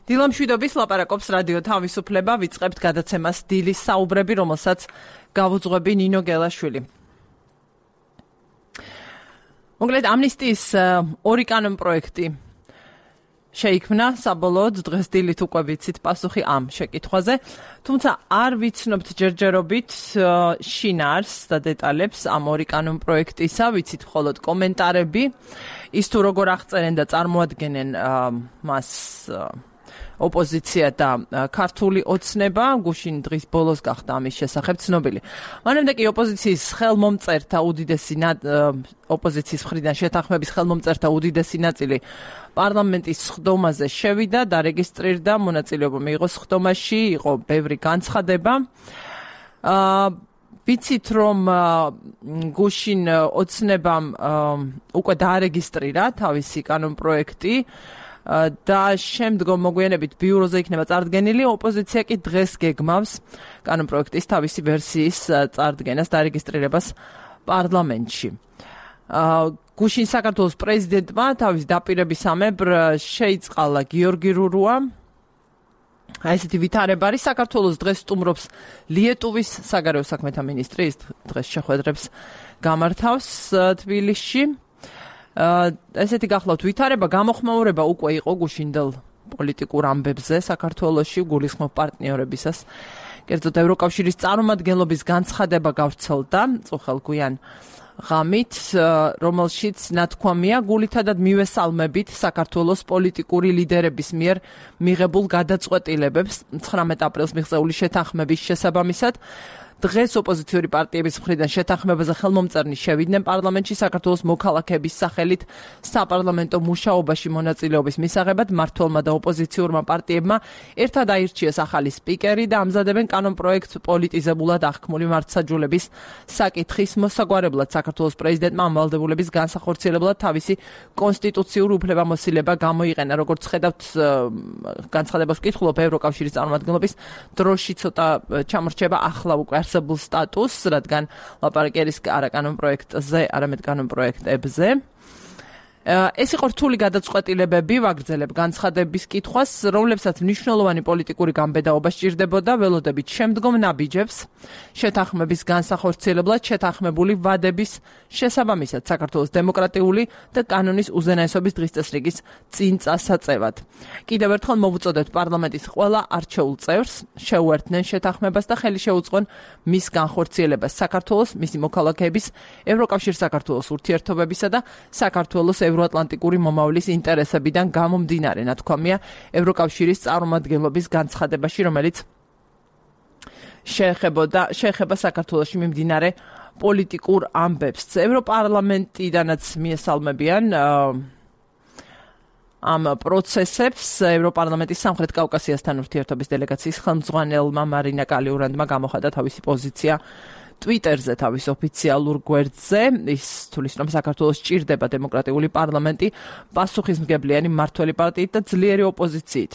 დილამშვიდობის ლაპარაკობს რადიო თავისუფლება, ვიწყებთ გადაცემას დილის საუბრები, რომელსაც გავუძღვები ნინო გელაშვილი. მოკლედ ამნისტიის ორი კანონპროექტი შეიქმნა საბოლოოდ დღეს დილით უკვე ვიცით პასუხი ამ შეკითხვაზე, თუმცა არ ვიცნობთ ჯერჯერობით შინაარს და დეტალებს ამ ორი კანონპროექტისა, ვიცით მხოლოდ კომენტარები, ის თუ როგორ აღწერენ და წარმოადგენენ მას ოპოზიცია და ქართული ოცნება, გუშინ დღის ბოლოს გახდა ამის შესახებ ცნობილი. მანამდე კი ოპოზიციის ხელმომწერთა უდიდესი ოპოზიციის მხრიდან შეთანხმების ხელმომწერთა უდიდესი ნაწილი პარლამენტის სხდომაზე შევიდა, დარეგისტრირდა, მონაწილეობა მიიღო სხდომაში, იყო ბევრი განცხადება. ვიცით რომ გუშინ ოცნებამ უკვე დაარეგისტრირა თავისი კანონპროექტი და შემდგომ მოგვიანებით ბიუროზე იქნება წარდგენილი, ოპოზიცია კი დღეს გეგმავს კანონპროექტის თავისი ვერსიის წარდგენას და რეგისტრირებას პარლამენტში. გუშინ საქართველოს პრეზიდენტმა თავის დაპირებისამებრ შეიწყალა გიორგი რურუა. ესეთი ვითარება არის, საქართველოს დღეს სტუმრობს ლიეტუვის საგარეო საქმეთა მინისტრი, ის დღეს შეხვედრებს გამართავს თბილისში. ესეთი გახლავთ ვითარება, გამოხმაურება უკვე იყო გუშინდელ პოლიტიკურ ამბებზე საქართველოში გულისხმობ პარტნიორებისას. კერძოდ ევროკავშირის წარმომადგენლობის განცხადება გავრცელდა წუხელგვიან ღამით, რომელშიც ნათქვამია გულითადად მივესალმებით საქართველოს პოლიტიკური ლიდერების მიერ მიღებულ გადაწყვეტილებებს 19 აპრილს მიღწეული შეთანხმების შესაბამისად. დღეს ოპოზიციური პარტიების მხრიდან შეთანხმებაზე ხელმომწერნი შევიდნენ პარლამენტში საქართველოს მოქალაქეების სახელით საპარლამენტო მუშაობაში მონაწილეობის მისაღებად მმართველმა და ოპოზიციურმა პარტიებმა ერთად აირჩიეს ახალი სპიკერი და ამზადებენ კანონპროექტ პოლიტიზებულად აღქმული მართლმსაჯულების საკითხის მოსაგვარებლად საქართველოს პრეზიდენტმა ამ ვალდებულების განსახორციელებლად თავისი კონსტიტუციური უფლებამოსილება გამოიყენა. როგორც ხედავთ, განცხადებას ვკითხულობ, ევროკავშირის წარმომადგენლობის დროში ცოტა ჩამორჩება ახლა უკვე არსებულ სტატუსს, რადგან ლაპარაკი არის არა კანონპროექტზე, არამედ კანონპროექტებზე. ეს იყო რთული გადაწყვეტილებები, ვაგრძელებ განცხადების კითხვას, რომლებსაც მნიშვნელოვანი პოლიტიკური გამბედაობა სჭირდებოდა ველოდებით შემდგომ ნაბიჯებს შეთანხმების განსახორციელებლად შეთანხმებული ვადების შესაბამისად საქართველოს დემოკრატიული და კანონის უზენაესობის დღესწესრიგის წინ წასაწევად. კიდევ ერთხელ მოვუწოდებთ პარლამენტის ყველა არჩეულ წევრს შეუერთდნენ შეთანხმებას და ხელი შეუწყონ მის განხორციელებას საქართველოს, მისი მოქალაქეების, ევროკავშირის საქართველოს ურთიერთობებისა და საქართველოს ევროატლანტიკური მომავლის ინტერესებიდან გამომდინარე, ნათქვამია ევროკავშირის წარმომადგენლობის განცხადებაში, რომელიც შეეხება საქართველოში მიმდინარე პოლიტიკურ ამბებს. ევროპარლამენტიდანაც მიესალმებიან ამ პროცესებს ევროპარლამენტის სამხრეთ კავკასიასთან ურთიერთობის დელეგაციის ხელმძღვანელმა მარინა კალიურანდმა გამოხატა თავისი პოზიცია Twitterზე თავის ოფიციალურ გვერდზე. ის თulis რომ საქართველოს სჭირდება დემოკრატიული პარლამენტი პასუხისმგებლიანი მმართველი პარტიით და ძლიერი ოპოზიციით.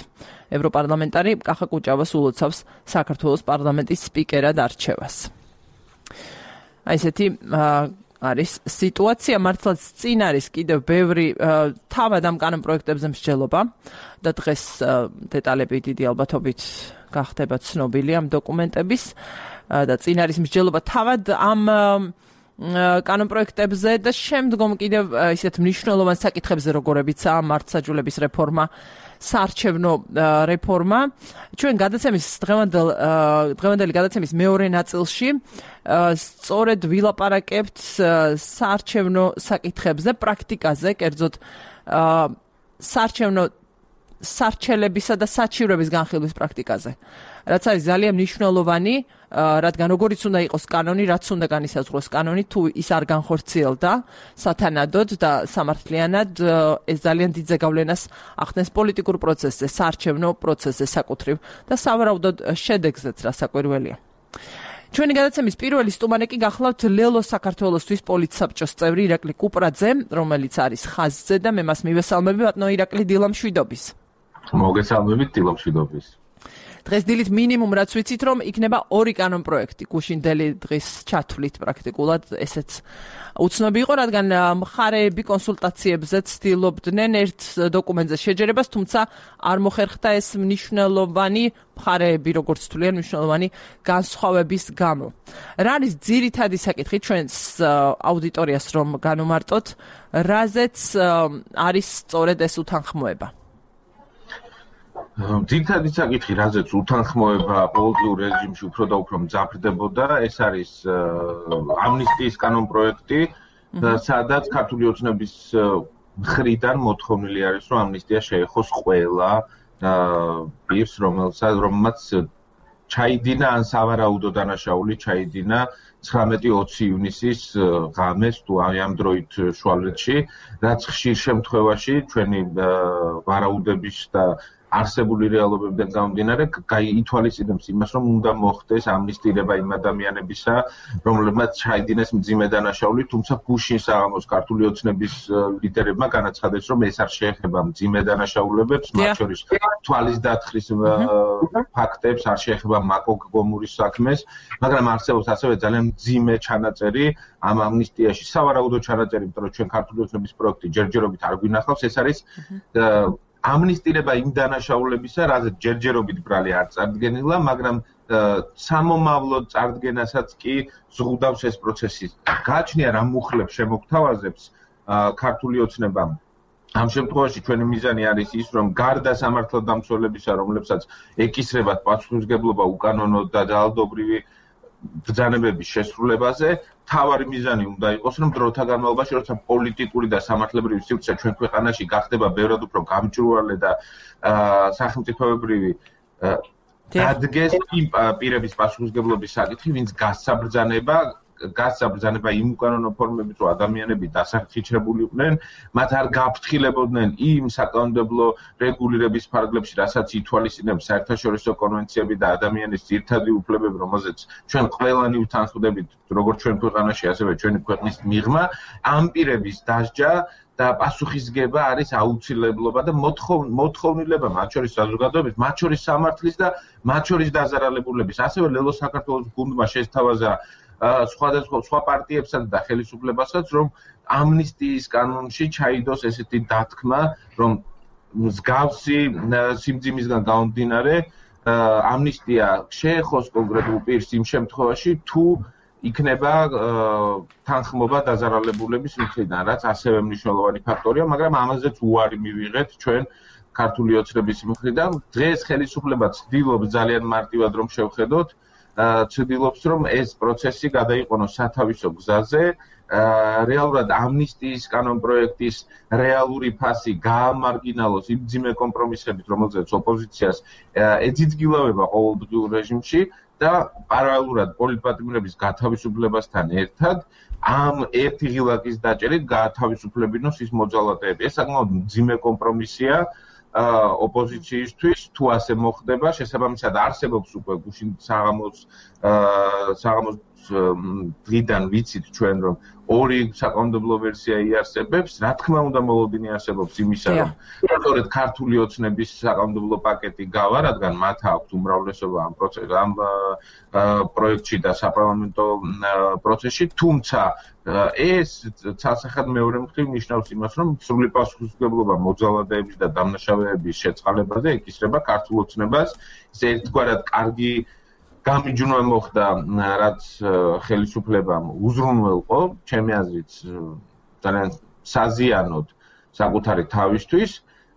ევროპარლამენტარი კახა კუჭავას ულოცავს საქართველოს პარლამენტის სპიკერად არჩევას. ესეთი არის სიტუაცია, მართლაც წინ არის კიდევ ბევრი თავად ამ კანონპროექტებზე მსჯელობა და დღეს დეტალები დიდი ალბათობით გახდება ცნობილი ამ დოკუმენტების და წინ არის მსჯელობა თავად ამ კანონპროექტებზე და შემდგომ კიდევ ისეთ მნიშვნელოვან საკითხებზე, როგორებიცაა მართლმსაჯულების რეფორმა, საარჩევნო რეფორმა. ჩვენ გადაცემის დღევანდელი გადაცემის მეორე ნაწილში სწორედ ვილაპარაკებთ საარჩევნო საკითხებზე, პრაქტიკაზე, კერძოდ სარჩელებისა და საჩივრების განხილვის პრაქტიკაზე. რაც არის ძალიან მნიშვნელოვანი, რადგან როგორიც უნდა იყოს კანონი, რაც უნდა განისაზღვროს კანონი, თუ ის არ განხორციელდა სათანადოდ და სამართლიანად, ეს ძალიან დიდ ზეგავლენას ახდენს პოლიტიკურ პროცესზე, საარჩევნო პროცესზე საკუთრივ და სავარაუდოდ შედეგზეც, რასაკვირველია. ჩვენი გადაცემის პირველი სტუმარი კი გახლავთ ლელო საქართველოსთვის პოლიტსაბჭოს წევრი ირაკლი კუპრაძე, რომელიც არის ხაზზე და მე მას მივესალმები, ბატონო ირაკლი, დილამშვიდობის. მოგესალმებით, დილამშვიდობის. დღეს დილით მინიმუმ რაც ვიცით რომ იქნება 2 კანონპროექტი გუშინდელი დღის ჩათვლით პრაქტიკულად ესეც უცნობი იყო, რადგან მხარეები კონსულტაციებზე ცდილობდნენ ერთ დოკუმენტზე შეჯერებას, თუმცა არ მოხერხდა ეს მნიშვნელოვანი მხარეები, როგორც თვლიან, მნიშვნელოვანი განსხვავების გამო. რა არის ძირითადი საკითხი ჩვენს აუდიტორიას რომ განვმარტოთ, რაზეც არის სწორედ ეს უთანხმოება? ძირითადი საკითხი, რაზეც უთანხმოება პოლიტიკურ რეჟიმში უფრო და უფრო მძაფრდებოდა, ეს არის ამნისტიის კანონპროექტი, სადაც ქართული ოცნების მხრიდან მოთხოვნილი არის, რომ ამნისტია შეეხოს ყველა პირს, რომელმაც ჩაიდინა ან სავარაუდო დანაშაული ჩაიდინა 19-20 ივნისის ღამეს თუ ამ დროით შუალედში, რაც ხშირ შემთხვევაში ჩვენი ვარაუდების და არსებული რეალობებიდან გამომდინარე ითვალისწინებს იმას, რომ უნდა მოხდეს ამნისტირება იმ ადამიანებისა, რომლებმაც ჩაიდინეს მძიმე დანაშაული, თუმცა გუშინ საღამოს ქართული ოცნების ლიდერებმა განაცხადეს, რომ ეს არ შეეხება მძიმე დანაშაულებებს, მათ შორის თვალის დათხრის ფაქტებს, არ შეეხება მაკოგომურის საქმეს, მაგრამ არსებობს ასევე ძალიან მძიმე ჩანაწერი ამ ამნისტიაში, სავარაუდო ჩანაწერი, იმიტომ რომ ჩვენ ქართული ოცნების პროექტი ჯერჯერობით არ გვინახავს, ეს არის ამნისტირება იმ დანაშაულებისა, რაზეც ჯერჯერობით ბრალი არ წარდგენილა, მაგრამ სამომავლო წარდგენასაც კი ზღუდავს ეს პროცესი. გააჩნია რა მუხლებს შემოგთავაზებს ქართული ოცნებამ. ამ შემთხვევაში ჩვენი მიზანი არის ის, რომ გარდა სამართალდამცველებისა, რომლებსაც ეკისრებათ პასუხისმგებლობა უკანონო და ძალადობრივი ბრძანებების შესრულებაზე, თავარი მიზანი უნდა იყოს, რომ დროთა განმავლობაში, როცა პოლიტიკური და სამართლებრივი სივრცე ჩვენ ქვეყანაში გახდება ბევრად უფრო გამჭვირვალე და სახელმწიფოებრივი დადგეს იმ პირების პასუხისმგებლობის საკითხი, ვინც გასცა ბრძანება იმ უკანონო ფორმებით, რომ ადამიანები დასახიჩრებული იყვნენ, მათ არ გაფრთხილებოდნენ იმ საკანონმდებლო რეგულირების ფარგლებში, რასაც ითვალისწინებს საერთაშორისო კონვენციები და ადამიანის ძირითადი უფლებები, რომელზეც ჩვენ ყველანი უთანხმდებით, როგორც ჩვენ ქვეყანაში, ასევე ჩვენი ქვეყნის მიღმა, ამ პირების დასჯა და პასუხისგება არის აუცილებლობა და მოთხოვნილება, მათ შორის საზოგადოების, მათ შორის სამართლის და მათ შორის დაზარალებულების. ასევე ლელო საქართველოს გუნდმა შესთავაზა სხვა პარტიებსაც და ხელისუფლებასაც, რომ ამნისტიის კანონში ჩაიდოს ესეთი დათქმა, რომ მსგავსი სიმძიმისგან გამომდინარე ამნისტია შეეხოს კონკრეტულ პირს იმ შემთხვევაში, თუ იქნება თანხმობა დაზარალებულების მხრიდან, რაც ასევე მნიშვნელოვანი ფაქტორია, მაგრამ ამაზეც უარი მივიღეთ ჩვენ ქართული ოცნების მხრიდან. დღეს ხელისუფლება ცდილობს ძალიან მარტივად რომ შევხედოთ, ცდილობს რომ ეს პროცესი გადაიყვანოს სათავისო გზაზე, რეალურად ამნისტიის კანონპროექტის რეალური ფასი გაამარგინალოს იმ მძიმე კომპრომისებით, რომელზეც ოპოზიციას ეძიძგილავება ყოველდღიურ რეჟიმში და პარალელურად პოლიტპატიმრების გათავისუფლებასთან ერთად ამ ერთი ღილაკის დაჭერით გაათავისუფლებინოს ის მოძალადეები. ეს საკმაოდ მძიმე კომპრომისია ოპოზიციისთვის, თუ ასე მოხდება, შესაბამისად არსებობს უკვე გუშინ საღამოს დღიდან ვიცით ჩვენ, რომ 2 საკანონმდებლო ვერსია იარსებებს, რა თქმა უნდა მოლოდინი არსებობს იმისა, რომ სწორედ ქართული ოცნების საკანონმდებლო პაკეტი გავა, რადგან მათ აქვთ უმრავლესობა ამ პროექტში და საპარლამენტო პროცესში, თუმცა ეს ცალსახად მეორე მხრივ ნიშნავს იმას, რომ სრული პასუხისმგებლობა მოძალადეების და დამნაშავეების შეწყალებაზე ეკისრება ქართულ ოცნებას. ეს ერთგვარად კარგი გამიჯვნა მოხდა, რაც ხელისუფლებამ უზრუნველყო, ჩემი აზრით, ძალიან საზიანოდ საკუთარი თავისთვის.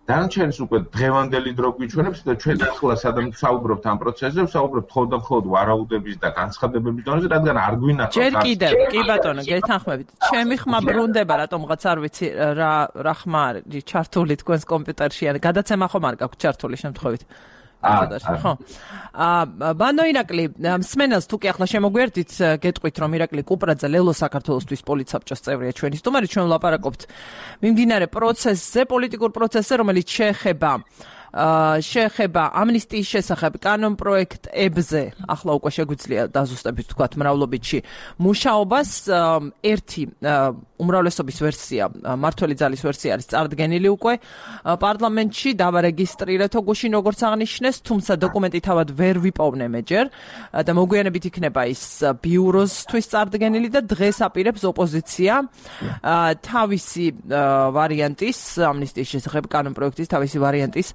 დანარჩენს უკვე დღევანდელი დრო გვიჩვენებს და ჩვენ ახლა სადამ საუბრობთ ამ პროცესზე, ვსაუბრობთ მხოლოდ ვარაუდების და განცხადებების დონეზე, რადგან არ გვინახავს. ჯერ კიდევ, კი ბატონო, გეთანხმებით. ჩემი ხმა ბრუნდება, რატომღაც არ ვიცი რა ხმა არის ჩართული თქვენს კომპიუტერში, ან გადაცემა ხომ არ გაქვთ ჩართული შემთხვევით. ხო. ბანო ირაკლი, მსმენელს თუ კი ახლა შემოგვიერთდით, გეტყვით რომ ირაკლი კუპრაძე ლელო საქართველოსთვის პოლიცსაბჭოს წევრია ჩვენი სტუმარი, ჩვენ ვლაპარაკობთ მიმდინარე პროცესზე, პოლიტიკურ პროცესზე, რომელიც შეეხება შეეხება ამნისტიის შესახებ კანონპროექტებზე, ახლა უკვე შეგვიძლია დაზუსტებით ვთქვათ მრავლობითში მუშაობას, ერთი უმრავლესობის ვერსია, მმართველი ძალის ვერსია არის წარდგენილი უკვე პარლამენტში, დავარეგისტრირეთო გუშინ როგორც აღნიშნეს, თუმცა დოკუმენტი თავად ვერ ვიპოვნე მეჯერ და მოგვიანებით იქნება ის ბიუროსთვის წარდგენილი და დღეს აპირებს ოპოზიცია თავისი ვარიანტის, ამნისტიის შესახებ კანონპროექტის თავისი ვარიანტის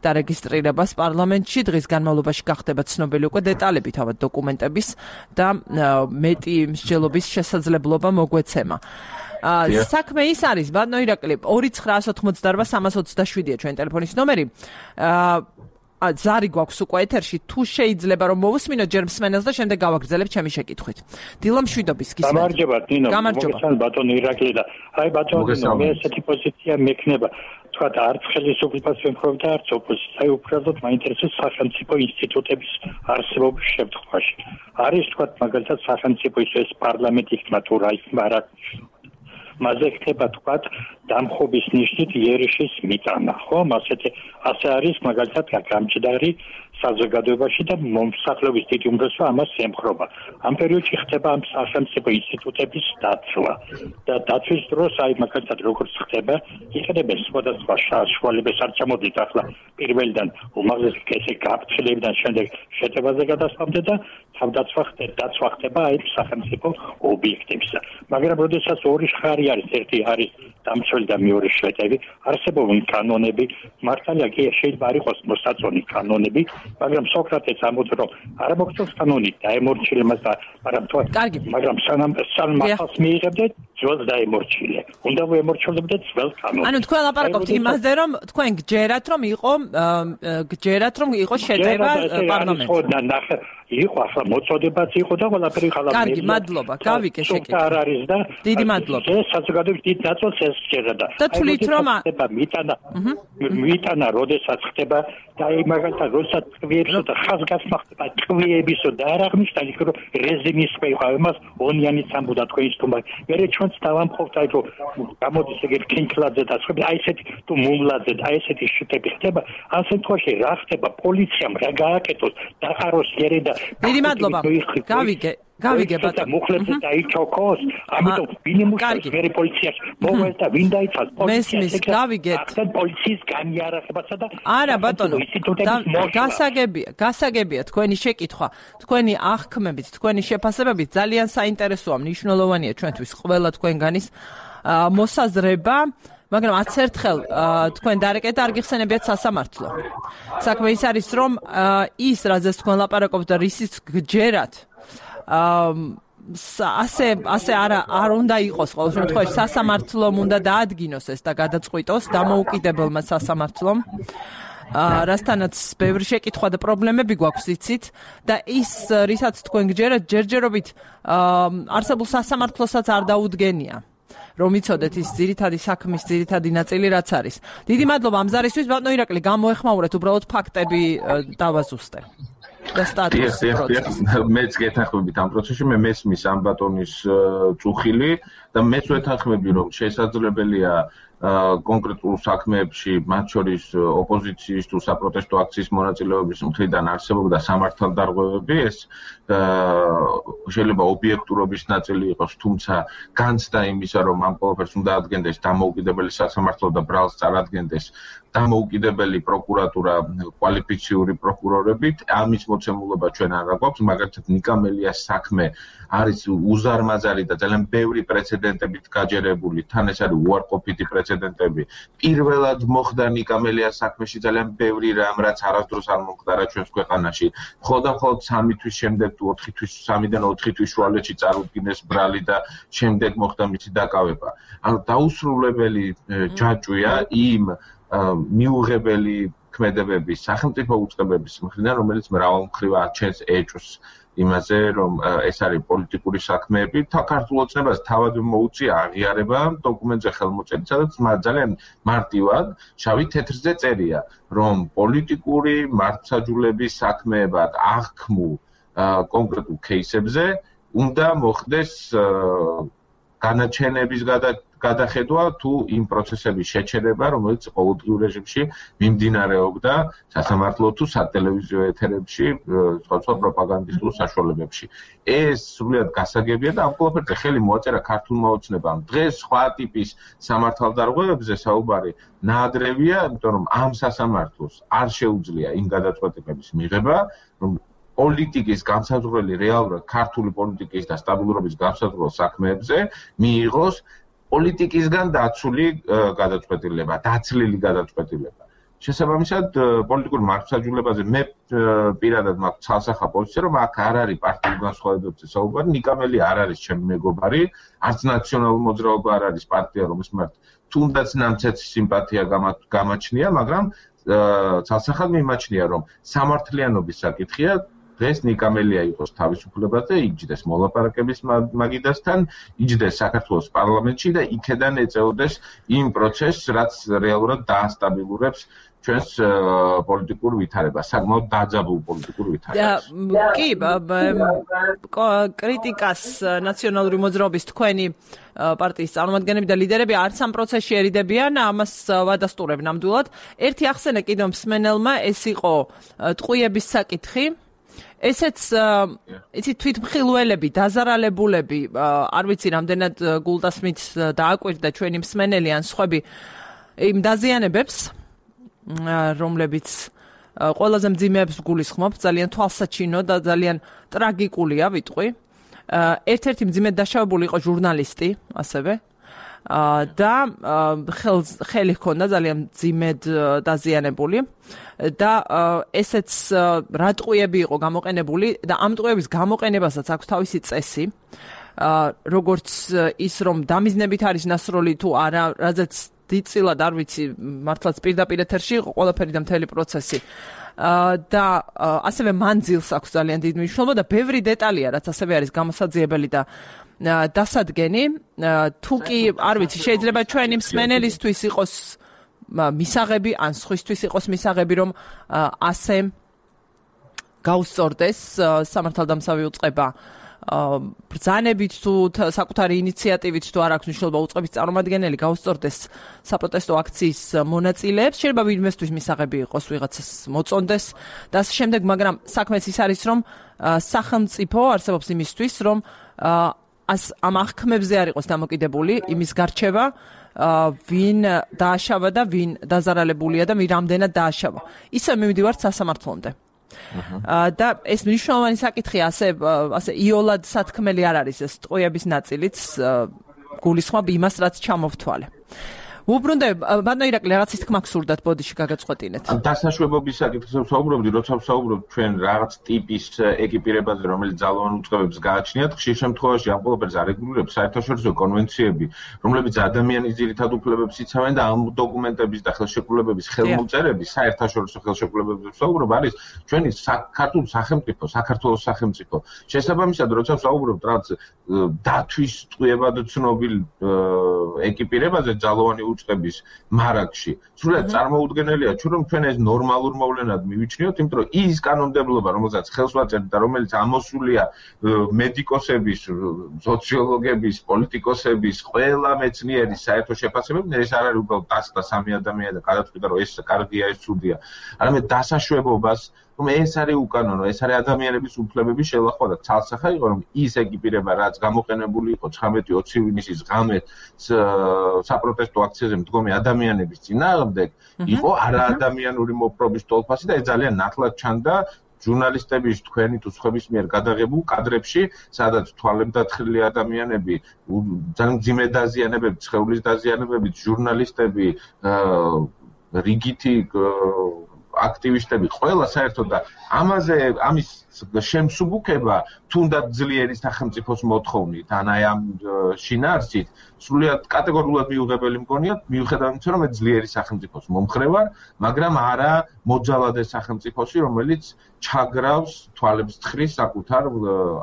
დარეგისტრირებას პარლამენტში დღის განმავლობაში გახდება ცნობილი უკვე დეტალები თავად დოკუმენტების და მეტი მსჯელობის შესაძლებლობა მოგვეცემა. საქმე ის არის, ბატონო ირაკლი, 2988327-ია ჩვენ ტელეფონის ნომერი. ზარი გვაქვს უკვე ეთერში, თუ შეიძლება რომ მოვუსმინოთ ჯერ მსმენელს და შემდეგ გავაგრძელებთ ჩემი შეკითხვით. დილა მშვიდობის გისმენთ. გამარჯობა, ნინო. მოგესალმებით ბატონო ირაკლი და აი ბატონო, მე ესეთი პოზიცია მექნება. თქვათ არც ხელისუფლებას ვემხრობ და არც ოპოზიციას. აი უბრალოდ მაინტერესებს სახელმწიფო ინსტიტუტების არსებობის შემთხვევაში. არის თქვათ მაგალითად სახელმწიფო ის პარლამენტი იქნება თუ რა იქნება რა. მასზე ხდება თქვათ დამხობის ნიშნით იერიშის მიტანა, ხო? ასე არის მაგალითად გამჭდარი საზოგადოებაში და მომსახურების დიდი უმრავლესობა ამას ემხრობა. ამ პერიოდში ხდება ამ სახელმწიფო ინსტიტუტების დაცვა და დაცვის დროს აი მაგალითად როგორც ხდება, იყენებენ სხვადასხვა საშუალებებს, არ ჩამოდით ახლა პირველიდან უმაღლესი კეში გაფრთხილებიდან შემდეგ შეტევაზე გადასვლამდე და თავდაცვა ხდება აი სახელმწიფო ობიექტებზე. მაგრამ როდესაც ორი ხარი არის, ერთი არის დამცველი და მეორე შეტევი, არსებობენ კანონები, მართალია კი შეიძლება არ იყოს მოსაწონი კანონები, მაგრამ სოკრატეს ამბობს რომ არ მოგწონს კანონი დაემორჩილებას და მაგრამ სანამ ახალს მიიღებდეთ ძველს დაემორჩილე. უნდა ვემორჩილებდეთ ძველ კანონს. ანუ თქვენ ლაპარაკობთ იმაზე რომ თქვენ გჯერათ რომ იყო შეტევა პარლამენტში. იყო ახლა მოწოდებაც იყო და ყველაფერი ხალხი. კარგი, მადლობა. გავიკე შეკითხვა. არ არის და დიდი მადლობა. საზოგადოების დიდ ნაწილს ეს შეერა და თვლით რომ მიტანა როდესაც ხდება და აი მაგალითად როდესაც ტყვიებსო და ხაზგასმა ხდება ტყვიებისო და არ აღნიშნავს იქ რომ რეჟიმის ხება იმას ონიანიც ამბობდა თქვენს თუმა მე ჩვენც დავამხობთ აი რომ გამოდის ეგეთ კინკლაძე და სხვა აი ესეთი თუ მუმლაძე აი ესეთი შეტები ხდება ამ შემთხვევაში რა ხდება პოლიციამ რა გააკეთოს დაყაროს ერე და დიდი მადლობა გავიგე ბატონო მუხლებზე დაიჩოქოს ამიტომ ვინ იმუშავებს მე პოლიციას მოვეს და ვინ დაიცავს მესმის გავიგეთ ახლა პოლიციის განიარაღებასა და არა ბატონო გასაგებია თქვენი შეკითხვა თქვენი აღქმებით თქვენი შეფასებებით ძალიან საინტერესოა მნიშვნელოვანია ჩვენთვის ყველა თქვენგანის მოსაზრება მაგრამ 10 ერთხელ თქვენ დარეკეთ არ გიხსენებიათ სასამართლო საქმე ის არის რომ ის რაზეც თქვენ ლაპარაკობთ და რისიც გჯერათ ასე არ უნდა იყოს ყოველ შემთხვევაში სასამართლომ უნდა დაადგინოს ეს და გადაწყვიტოს დამოუკიდებელმა სასამართლომ რასთანაც ბევრი შეკითხვა და პრობლემები გვაქვს იცით და ის რისაც თქვენ გჯერათ ჯერჯერობით არსებულ სასამართლოსაც არ დაუდგენია რომ იცოდეთ ის ძირითადი საქმის ძირითადი ნაწილი რაც არის. დიდი მადლობა ამ ზარისთვის ბატონო ირაკლი გამოეხმაურეთ უბრალოდ ფაქტები დავაზუსტე. და სტატუსი მეც გეთანხმებით ამ პროცესში მე მესმის ამ ბატონის წუხილი და მეც ვეთანხმები რომ შესაძლებელია კონკრეტულ საქმეებში მათ შორის ოპოზიციის თუ საპროტესტო აქციის მონაწილეობის მხრიდან არსებობდა სამართალდარღვევები ეს შეიძლება ობიექტურობის ნაწილი იყოს თუმცა განცდა იმისა რომ ამ ყველაფერს უნდა ადგენდეს დამოუკიდებელი სასამართლო და ბრალს წარადგენდეს დამოუკიდებელი პროკურატურა კვალიფიციური პროკურორებით ამის მოცემულობა ჩვენ არ გვაქვს მაგალითად ნიკამელიას საქმე არის უზარმაზარი და ძალიან ბევრი პრეცედენტებით გაჯერებული თან ეს არის უარყოფითი პრეცედენტები პირველად მოხდა ნიკამელიას საქმეში ძალიან ბევრი რამ რაც არასდროს არ მომხდარა ჩვენს ქვეყანაში მხოლოდ 3 თვის შემდეგ თუ 4 თვის 3-დან 4 თვის შუალედში წარუდგინეს ბრალი და შემდეგ მოხდა მისი დაკავება ანუ დაუსრულებელი ჯაჭვია იმ მიუღებელი ქმედებების სახელმწიფო უწყებების მხრიდან რომელიც მრავალმხრივ აჩენს ეჭვს იმაზე რომ ეს არის პოლიტიკური საქმეები ქართულ ოცნებას თავად მოუწია აღიარება დოკუმენტზე ხელმოწერით სადაც ძალიან მარტივად შავი თეთრზე წერია რომ პოლიტიკური მართლმსაჯულების საქმეებად აღქმულ კონკრეტულ кейსებზე უნდა მოხდეს განაჩენების გადახედვა თუ იმ პროცესების შეჩერება, რომელიც ყოველდღიურ რეჟიმში მიმდინარეობდა სასამართლო თუ სატელევიზიო ეთერებში, სხვა პროპაგანდისტულ საშუალებებში. ეს სრულიად გასაგებია და ამ ყველაფერზე ხელი მოაწერა ქართულმა ოცნებამ. დღეს სხვა ტიპის სამართალდარღვევებზე საუბარი ნაადრევია, იმიტომ რომ ამ სასამართლოს არ შეუძლია იმ გადაწყვეტილების მიღება, რომ პოლიტიკის განსაზღვრელი რეალურად ქართული პოლიტიკის და სტაბილურობის განსაზღვრელ საქმეებზე მიიღოს პოლიტიკისგან დაცული გადაწყვეტილება, დაცლილი გადაწყვეტილება. შესაბამისად, პოლიტიკურ მართლმსაჯულებაზე მე პირადად მაქვს ცალსახა პოზიცია, რომ აქ არ არის პარტიულ განსხვავებებზე საუბარი, ნიკამელი არ არის ჩემი მეგობარი, არც ნაციონალური მოძრაობა არ არის პარტია, რომლის მიმართ თუნდაც ნამცეცი სიმპათია გამაჩნია, მაგრამ ცალსახად მიმაჩნია, რომ სამართლიანობის საკითხია დღეს ნიკამელია იყოს თავისუფლებაზე, იჯდეს მოლაპარაკების მაგიდასთან, იჯდეს საქართველოს პარლამენტში და იქედან ეწეოდეს იმ პროცესს, რაც რეალურად დაასტაბილურებს ჩვენს პოლიტიკურ ვითარებას, საკმაოდ დაძაბულ პოლიტიკურ ვითარებას. კი, კრიტიკას ნაციონალური მოძრაობის თქვენი პარტიის წარმომადგენლები და ლიდერები არც ამ პროცესში ერიდებიან, ამას ვადასტურებ ნამდვილად. ერთი ახსენე კიდევ მსმენელმა, ეს იყო ტყვიების საკითხი. ესეც იცი თვითმხილველები, დაზარალებულები, არ ვიცი რამდენად გულდასმით დააკვირდა ჩვენი მსმენელი ან სხვები იმ დაზიანებებს, რომლებიც ყველაზე მძიმეებს გულისხმობ, ძალიან თვალსაჩინო და ძალიან ტრაგიკულია ვიტყვი. ერთ-ერთი მძიმედ დაშავებული იყო ჟურნალისტი, ასევე და ხელი ჰქონდა ძალიან მძიმედ დაზიანებული და ესეც რა ტყვიები იყო გამოყენებული და ამ ტყვიების გამოყენებასაც აქვს თავისი წესი, როგორც ის რომ დამიზნებით არის ნასროლი თუ არა, რაზეც დიდწილად არ ვიცი, მართლაც პირდაპირ ეთერში იყო ყველაფერი და მთელი პროცესი. და ასევე მანძილს აქვს ძალიან დიდი მნიშვნელობა და ბევრი დეტალია, რაც ასევე არის გამოსაძიებელი და დასადგენი, თუ კი არ ვიცი, შეიძლება ჩვენი მსმენელისთვის იყოს მისაღები, ან სხვისთვის იყოს მისაღები, რომ ასე გაუსწორდეს სამართალდამცავი უწყება ბრძანებით თუ საკუთარი ინიციატივით თუ არ აქვს მნიშვნელობა უწყების წარმომადგენელი გაუსწორდეს საპროტესტო აქციის მონაწილეებს, შეიძლება ვინმესთვის მისაღები იყოს, ვიღაცას მოწონდეს და ასე შემდეგ, მაგრამ საქმეც ის არის, რომ სახელმწიფო არსებობს იმისთვის, რომ ამ აღქმებზე არ იყოს დამოკიდებული იმის გარჩევა, ვინ დააშავა და ვინ დაზარალებულია და ვინ რამდენად დააშავა. ისე მივდივართ სასამართლომდე. და ეს მნიშვნელოვანი საკითხია, ასე იოლად სათქმელი არ არის ეს ტყვიების ნაწილიც გულისხმობ იმას, რაც ჩამოვთვალე. უბრუნდებ, ბატონო ირაკლი, რაღაცის თქმა გსურდათ, ბოდიში გაგაწყვეტინეთ. დასაშვებობის საკითხზე ვსაუბრობდი, როცა ვსაუბრობ ჩვენ რაღაც ტიპის ეკიპირებაზე, რომელიც ძალოვან უწყებებს გააჩნიათ, ხშირ შემთხვევაში ამ ყველაფერს არეგულირებს საერთაშორისო კონვენციები, რომლებიც ადამიანის ძირითად უფლებებს იცავენ და ამ დოკუმენტების და ხელშეკრულებების ხელმოწერების საერთაშორისო ხელშეკრულებებზე ვსაუბრობ, არის ჩვენი ქართული სახელმწიფო, საქართველოს სახელმწიფო. შესაბამისად, როცა ვსაუბრობ რაღაც დათვის ტყვიებად ცნობილ ეკიპირებაზე ძალოვანი უწყების მარაგში. სრულიად წარმოუდგენელია, რომ ჩვენ ეს ნორმალურ მოვლენად მივიჩნიოთ, იმიტომ რომ ის კანონმდებლობა, რომელსაც ხელს ვაწერთ და რომელიც ამოსულია მედიკოსების, სოციოლოგების, პოლიტიკოსების, ყველა მეცნიერის საერთო შეფასებებით, ეს არ არის უბრალოდ დასდა სამი ადამიანი და გადაწყვიტა, რომ ეს კარგია, ეს ცუდია. არამედ დასაშვებობას, რომ ეს არის უკანონო, ეს არის ადამიანების უფლებების შელახვა და ცალსახა იყო, რომ ის ეკიპირება, რაც გამოყენებული იყო 19-20 ივნისის ღამეს საპროტესტო აქციაზე მდგომი ადამიანების წინააღმდეგ, იყო არაადამიანური მოპყრობის ტოლფასი და ეს ძალიან ნათლად ჩანდა ჟურნალისტების თქვენი თუ სხვების მიერ გადაღებულ კადრებში, სადაც თვალემდათხრილი ადამიანები, ძალიან მძიმე დაზიანებებით, სხეულის დაზიანებებით, ჟურნალისტები, რიგითი აქტივისტები, ყველა საერთოდ და ამის შემსუბუქება თუნდაც ძლიერი სახელმწიფოს მოთხოვნით, ან აი ამ შინაარსით, სრულიად კატეგორიულად მიუღებელი მგონია, მიუხედავად იმისა, რომ ძლიერი სახელმწიფოს მომხრე ვარ, მაგრამ არა მოძალადე სახელმწიფოსი, რომელიც ჩაგრავს თვალებს თხრის საკუთარ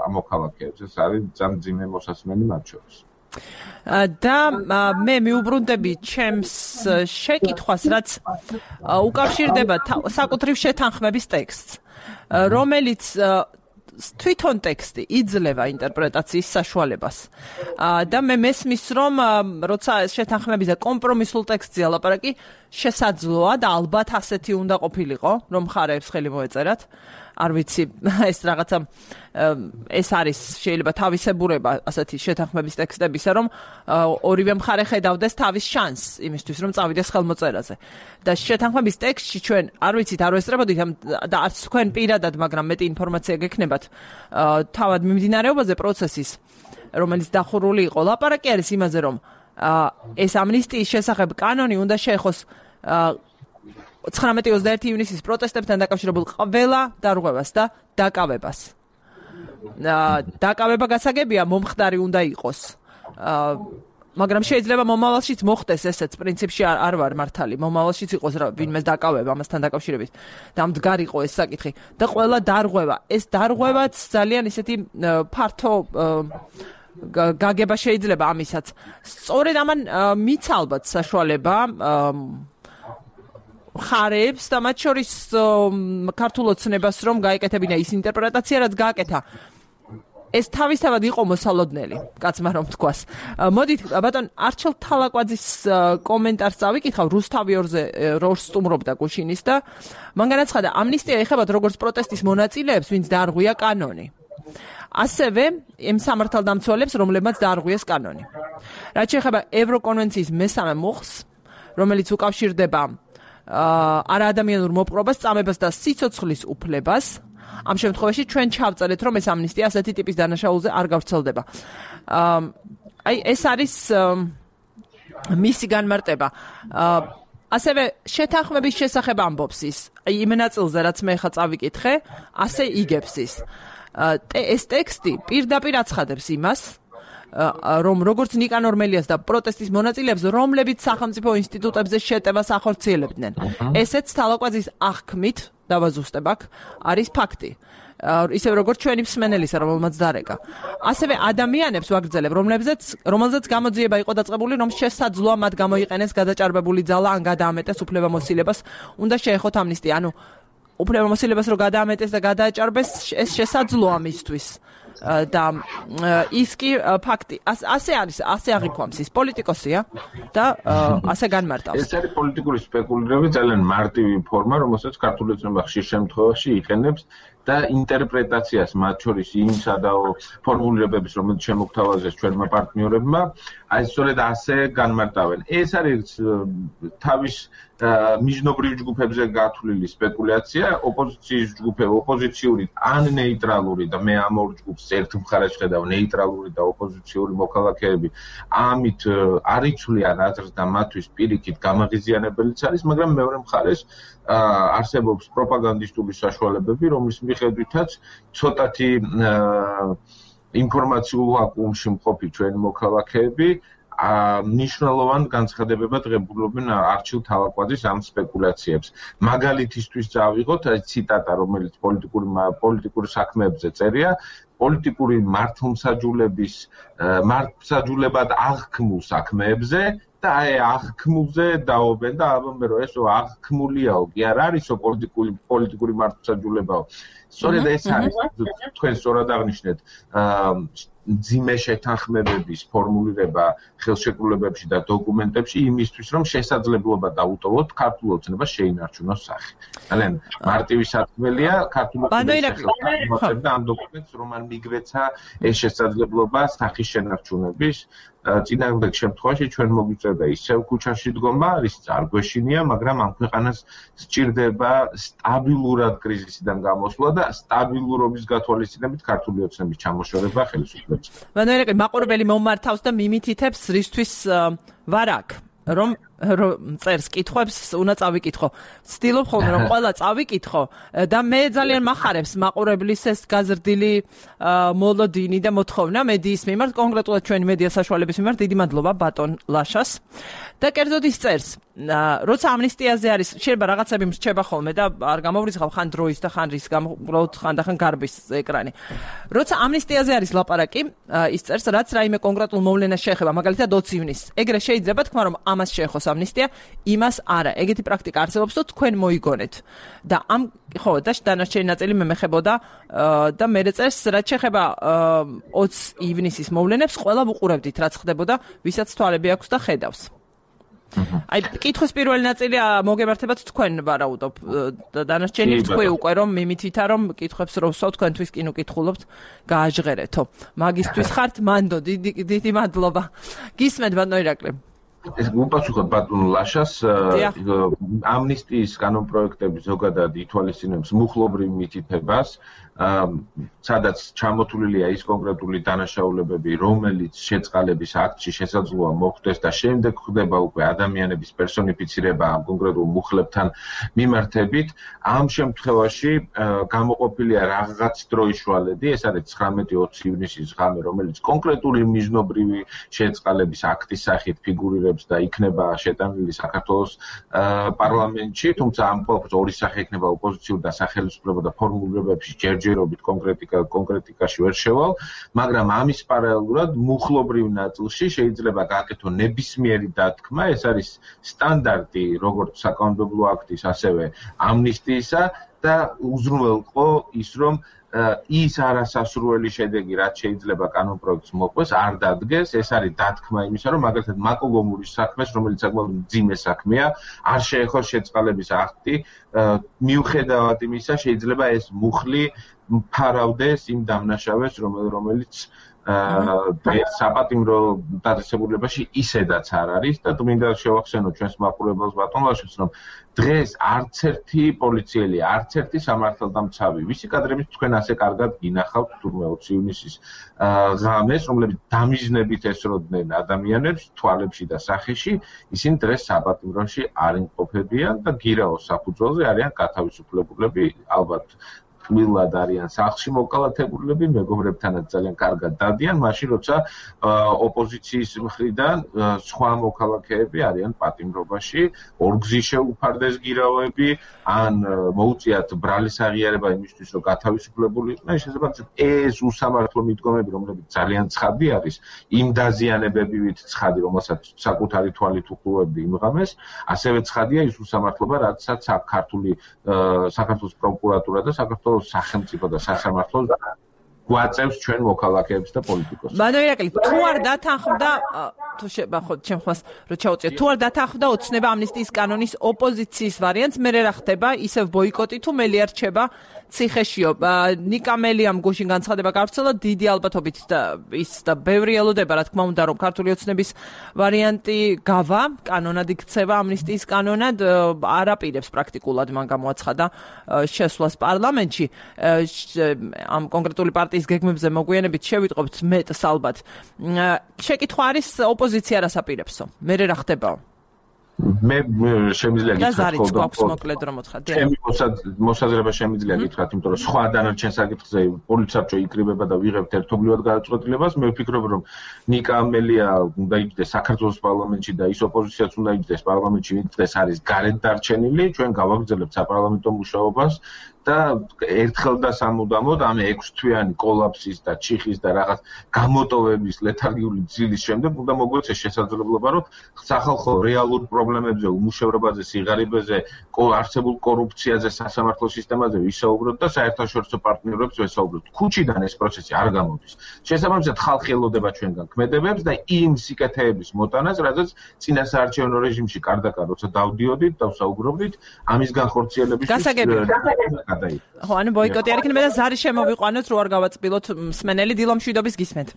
ამოქალაქეებს. ეს არის ძალიან მძიმე მოსასმენი მათ შორის. და მე მიუბრუნდები ჩემს შეკითხვას, რაც უკავშირდება საკუთრივ შეთანხმების ტექსტს, რომელიც თვითონ ტექსტი იძლევა ინტერპრეტაციის საშუალებას. და მე მესმის რომ როცა შეთანხმების და კომპრომისულ ტექსტზე ლაპარაკი შესაძლოა და ალბათ ასეთი უნდა ყოფილიყო, რომ მხარეებს ხელი მოეწერათ. არ ვიცი, ეს რაღაცა ეს არის შეიძლება თავისებურება ასეთი შეთანხმების ტექსტებისა, რომ ორივე მხარე ხედავდეს თავის შანსს იმისთვის, რომ წავიდეს ხელმოწერაზე. და შეთანხმების ტექსტში ჩვენ არ ვიცით, არ ვესწრებოდით და არც თქვენ პირადად, მაგრამ მეტი ინფორმაცია გექნებათ თავად მიმდინარეობაზე პროცესის, რომელიც დახურული იყო. ლაპარაკი არის იმაზე, რომ ეს ამნისტიის შესახებ კანონი უნდა შეეხოს 19-21 ივნისის პროტესტებთან დაკავშირებულ ყველა დარღვევას და დაკავებას. დაკავება გასაგებია მომხდარი უნდა იყოს. მაგრამ შეიძლება მომავალშიც მოხდეს ესეც, პრინციპში არ ვარ მართალი. მომავალშიც იყოს ვინმეს დაკავება ამასთან დაკავშირებით და მდგარიყო ეს საკითხი. და ყველა დარღვევა, ეს დარღვევაც ძალიან ისეთი ფართო გაგება შეიძლება ამისაც. სწორედ ამან მიცა ალბათ საშუალება მხარეებს და მათ შორის ქართულ ოცნებას რომ გაეკეთებინა ის ინტერპრეტაცია, რაც გააკეთა. ეს თავისთავად იყო მოსალოდნელი, კაცმა რომ თქვას. მოდით, ბატონ არჩილ თალაკვაძის კომენტარს წავიკითხავ, რუსთავი ორს სტუმრობდა გუშინის და მან განაცხადა, ამნისტია ეხებათ როგორც პროტესტის მონაწილეებს, ვინც დაარღვია კანონი. ასევე იმ სამართალდამცველებს, რომლებმაც დაარღვიეს კანონი. რაც შეეხება ევროკონვენციის მესამე მუხლს, რომელიც უკავშირდება არაადამიანურ მოპყრობას, წამებას და სიცოცხლის უფლებას. ამ შემთხვევაში ჩვენ ჩავწერეთ, რომ ეს ამნისტია ასეთი ტიპის დანაშაულზე არ გავრცელდება. აი ეს არის მისი განმარტება. ასევე შეთანხმების შესახებ ამბობს ის. აი იმ ნაწილზე, რაც მე ხა წავიკითხე, ასე იგებს ის. ეს ტექსტი პირდაპირ აცხადებს იმას, რომ როგორც ნიკანორ მელიას და პროტესტის მონაწილეებს, რომლებიც სახელმწიფო ინსტიტუტებზე შეტევას ახორციელებდნენ. ესეც თალაკვაძის აღქმით, დავაზუსტებ აქ, არის ფაქტი. ისევ როგორც ჩვენი მსმენელისა, რომელმაც დარეკა. ასევე ადამიანებს ვაგრძელებ, რომელზეც გამოძიება იყო დაწყებული, რომ შესაძლოა მათ გამოიყენეს გადაჭარბებული ძალა ან გადაამეტეს უფლებამოსილებას, უნდა შეეხოთ ამნისტია. ანუ უფლებამოსილებას რო გადაამეტეს და გადააჭარბეს, ეს შესაძლოა მისთვის. და ის კი ფაქტი ასე არის, ასე აღიქვამს ის პოლიტიკოსია და ასე განმარტავს. ეს არის პოლიტიკური სპეკულირება, ძალიან მარტივი ფორმა, რომელსაც ქართული ოცნება ხშირ შემთხვევაში იყენებს და ინტერპრეტაციას მათ შორის იმისა და ფორმულირებების, რომელიც შემოგთავაზეს ჩვენმა პარტნიორებმა, აი სწორედ ასე განმარტავენ. ეს არის თავის მიჯნობრივ ჯგუფებზე გათვლილი სპეკულაცია, ოპოზიციის ჯგუფები, ოპოზიციური ან ნეიტრალური და მე ამ ორ ჯგუფს ერთ მხარეს ხედავ, ნეიტრალური და ოპოზიციური მოქალაქეები ამით არ იცვლიან აზრს და მათთვის პირიქით გამაღიზიანებელიც არის, მაგრამ მეორე მხარეს არსებობს პროპაგანდისტული საშუალებები, რომლის მიხედვითაც ცოტათი ინფორმაციულ ვაკუუმში მყოფი ჩვენი მოქალაქეები ნიშნულოვან განცხადებებად ღებულობენ არჩილ თალაკვაძის ამ სპეკულაციებს. მაგალითისთვის წავიღოთ ციტატა, რომელიც პოლიტიკური საქმეებზე წერია, პოლიტიკური მართლმსაჯულებად აღქმულ საქმეებზე და აი აღქმულზე დაობენ და ალბათ რომ ესო აღქმულიაო კი არ არისო პოლიტიკური მართლმსაჯულებაო. სწორედ ეს არის თქვენ სწორად აღნიშნეთ ძიმე შეთანხმებების ფორმულირება ხელშეკრულებებში და დოკუმენტებში იმისთვის რომ შესაძლებლობა დაუტოვოთ ქართულ ოცნებას შეინარჩუნოს სახე. ძალიან მარტივი სათქმელია ქართულ ოცნებას და ამ დოკუმენტს რომ არ მიგვეცა ეს შესაძლებლობა სახის შენარჩუნების წინააღმდეგ შემთხვევაში ჩვენ მოგვიწევდა ისევ ქუჩაში დგომა, რის არ გვეშინია, მაგრამ ამ ქვეყანას სჭირდება სტაბილურად კრიზისიდან გამოსვლა და სტაბილურობის გათვალისწინებით ქართული ოცნების ჩამოშორება ხელისუფლებას. მანერაკი მაყურებელი მომართავს და მიმითითებს რისთვის ვარ აქ, რომ წერს კითხვებს უნდა წავიკითხო. ვცდილობ ხოლმე რომ ყველა წავიკითხო და მე ძალიან მახარებს მაყურებლის ეს გაზრდილი მოლოდინი და მოთხოვნა მედიის მიმართ, კონკრეტულად ჩვენი მედია საშუალების მიმართ. დიდი მადლობა ბატონ ლაშას. და კერძოდ ის წერს, როცა ამნისტიაზე არის, შეიძლება რაღაცები მრჩება ხოლმე და არ გამოვრიცხავ ხან დროის და ხან რის გამოვუყროთ ხან და ხან გარბის ეკრანი. როცა ამნისტიაზე არის ლაპარაკი, ის წერს, რაც რაიმე კონკრეტულ მოვლენას შეეხება, მაგალითად 20 ივნისს. ეგრე შეიძლება თქვა რომ ამას შეეხოს ამნისტია, იმას არა. ეგეთი პრაქტიკა არსებობს და თქვენ მოიგონეთ. და ამ ხო, და დანარჩენი ნაწილი მე მეხებოდა და მე წერს, რაც შეეხება 20 ივნისის მოვლენებს, ყველა ვუყურებდით, რაც ხდებოდა, ვისაც თვალები აქვს და ხედავს. აი, კითხვის პირველი ნაწილი მოგემართებათ თქვენ ვარაუდობ და დანარჩენი თქვი უკვე რომ მიმითითა რომ კითხებს რო ვსვავ თქვენთვის კი უკითხულობთ გააჟღერეთო. მაგისტვის ხართ მანდო, დიდი მადლობა. გისმენთ ბატონო ირაკლი. ეს უპასუხოთ ბატონ ლაშას ამნისტიის კანონპროექტები ზოგადად ითვალისწინებს მუხლობრივ მითითებას, სადაც ჩამოთვლილია ის კონკრეტული დანაშაულებები, რომელიც შეწყალების აქტში შესაძლოა მოხდეს და შემდეგ ხდება უკვე ადამიანების პერსონიფიცირება ამ კონკრეტულ მუხლებთან მიმართებით. ამ შემთხვევაში გამოყოფილია რაღაც დროის შუალედი, ეს არის 19-20 ივნისის ღამე, რომელიც კონკრეტული მიზნობრივი შეწყალების აქტის სახით ფიგურირებს და იქნება შეტანილი საქართველოს პარლამენტში, თუმცა ამ ყველაფერს ორი სახე იქნება ოპოზიციურ და სახელმწიფო და ფორმულირებებში ჯერჯერობით კონკრეტიკაში ვერ შევალ, მაგრამ ამის პარალელურად მუხლობრივ ნაწილში შეიძლება გააკეთო ნებისმიერი დათქმა, ეს არის სტანდარტი როგორც საკანონმდებლო აქტის, ასევე ამნისტიისა და უზრუნველყო ის რომ ის არასასურველი შედეგი, რაც შეიძლება კანონპროექტს მოყვეს, არ დადგეს, ეს არის დათქმა იმისა, რომ მაგალითად მაკოგომურის საქმეს, რომელიც საკმაოდ მძიმე საქმეა, არ შეეხოს შეწყალების აქტი, მიუხედავად იმისა, შეიძლება ეს მუხლი ფარავდეს იმ დამნაშავეს, რომელიც საპატიმრო დაწესებულებაში ისედაც არ არის და მინდა შევახსენო ჩვენს მაყურებელს ბატონ ლაშას, რომ დღეს არც ერთი პოლიციელი, არც ერთი სამართალდამცავი, ვისი კადრებით თქვენ ასე კარგად გინახავთ თურმე 20 ივნისის ღამეს, რომლებიც დამიზნებით ესროდნენ ადამიანებს თვალებში და სახეში, ისინი დღეს საპატიმროში არ იმყოფებიან და გირაოს საფუძველზე არიან გათავისუფლებულები, ალბათ მილად არიან სახლში მოკალათებულები, მეგობრებთანაც ძალიან კარგად დადიან, მაშინ როცა ოპოზიციის მხრიდან სხვა მოქალაქეები არიან პატიმრობაში, ორგზის შეუფარდეს გირაოები, ან მოუწიათ ბრალის აღიარება იმისთვის, რომ გათავისუფლებული იყვნენ, შესაძლოა ეს უსამართლო მიდგომები, რომლებიც ძალიან ცხადი არის, იმ დაზიანებებივით ცხადი, რომელსაც საკუთარი თვალით უყურებდი იმ ღამეს, ასევე ცხადია ის უსამართლობა, რაცაც საქართველოს პროკურატურა და საქართველოს სახელმწიფო და სასამართლო გვაწევს ჩვენ მოქალაქეებს და პოლიტიკოსებს. ბატონო ირაკლი, თუ არ დათანხმდა, თუ ხო, ჩემ ხმას რო ჩაუწიეთ, თუ არ დათანხმდა ოცნება ამნისტიის კანონის ოპოზიციის ვარიანტს, მე რა ხდება, ისევ ბოიკოტი თუ მელი არ რჩება ციხეშიო. ნიკა მელიამ გუშინ განცხადება გავრცელა, დიდი ალბათობით და ის და ბევრი ელოდება, რა თქმა უნდა, რომ ქართული ოცნების ვარიანტი გავა, კანონად იქცევა ამნისტიის კანონად, არ აპირებს პრაქტიკულად მან გამოაცხადა შესვლას პარლამენტში. ამ კონკრეტული პარტიის გეგმებზე მოგვიანებით შევიტყობთ მეტს ალბათ. შეკითხვა არის ოპოზიცია რას აპირებსო? მე რა ხდებაო? მე შემიძლია გითხრათ, მოკლედ რომ მოთხარ. ჩემი მოსაზრება შემიძლია გითხრათ, იმიტომ რომ სხვა დანარჩენ საკითხზე პოლიცია იკრიბება და ვიღებთ ერთობლივად გადაწყვეტილებას. მე ვფიქრობ, რომ ნიკა მელია უნდა იჯდეს საქართველოს პარლამენტში და ის ოპოზიციაც უნდა იჯდეს პარლამენტში, ვინც დღეს არის გარეთ დარჩენილი. ჩვენ გავაგრძელებთ საპარლამენტო მუშაობას და ერთხელ და სამუდამოდ ამ 6 თვიანი კოლაფსის და ჩიხის და რაღაც გამოტოვების ლეთარგიული ძილის შემდეგ უნდა მოგვეცეს შესაძლებლობა, რომ სახალხო რეალურ პრობლემებზე, უმუშევრობაზე, სიღარიბეზე, არსებულ კორუფციაზე, სასამართლო სისტემაზე ვისაუბროთ და საერთაშორისო პარტნიორებს ვესაუბროთ. ქუჩიდან ეს პროცესი არ გამოდის. შესაბამისად, ხალხი ელოდება ჩვენგან ქმედებებს და იმ სიკეთეების მოტანას, რადგან წინასაარჩევნო რეჟიმში კარდაკარ როცა დავდიოდით და ვსაუბრობდით, ამის განხორციელებისთვის ხო, ანუ ბოიკოტი არ იქნება და ზარი შემოვიყვანოთ, რო არ გავაწბილოთ მსმენელი დილომშვიდობის გისმენთ.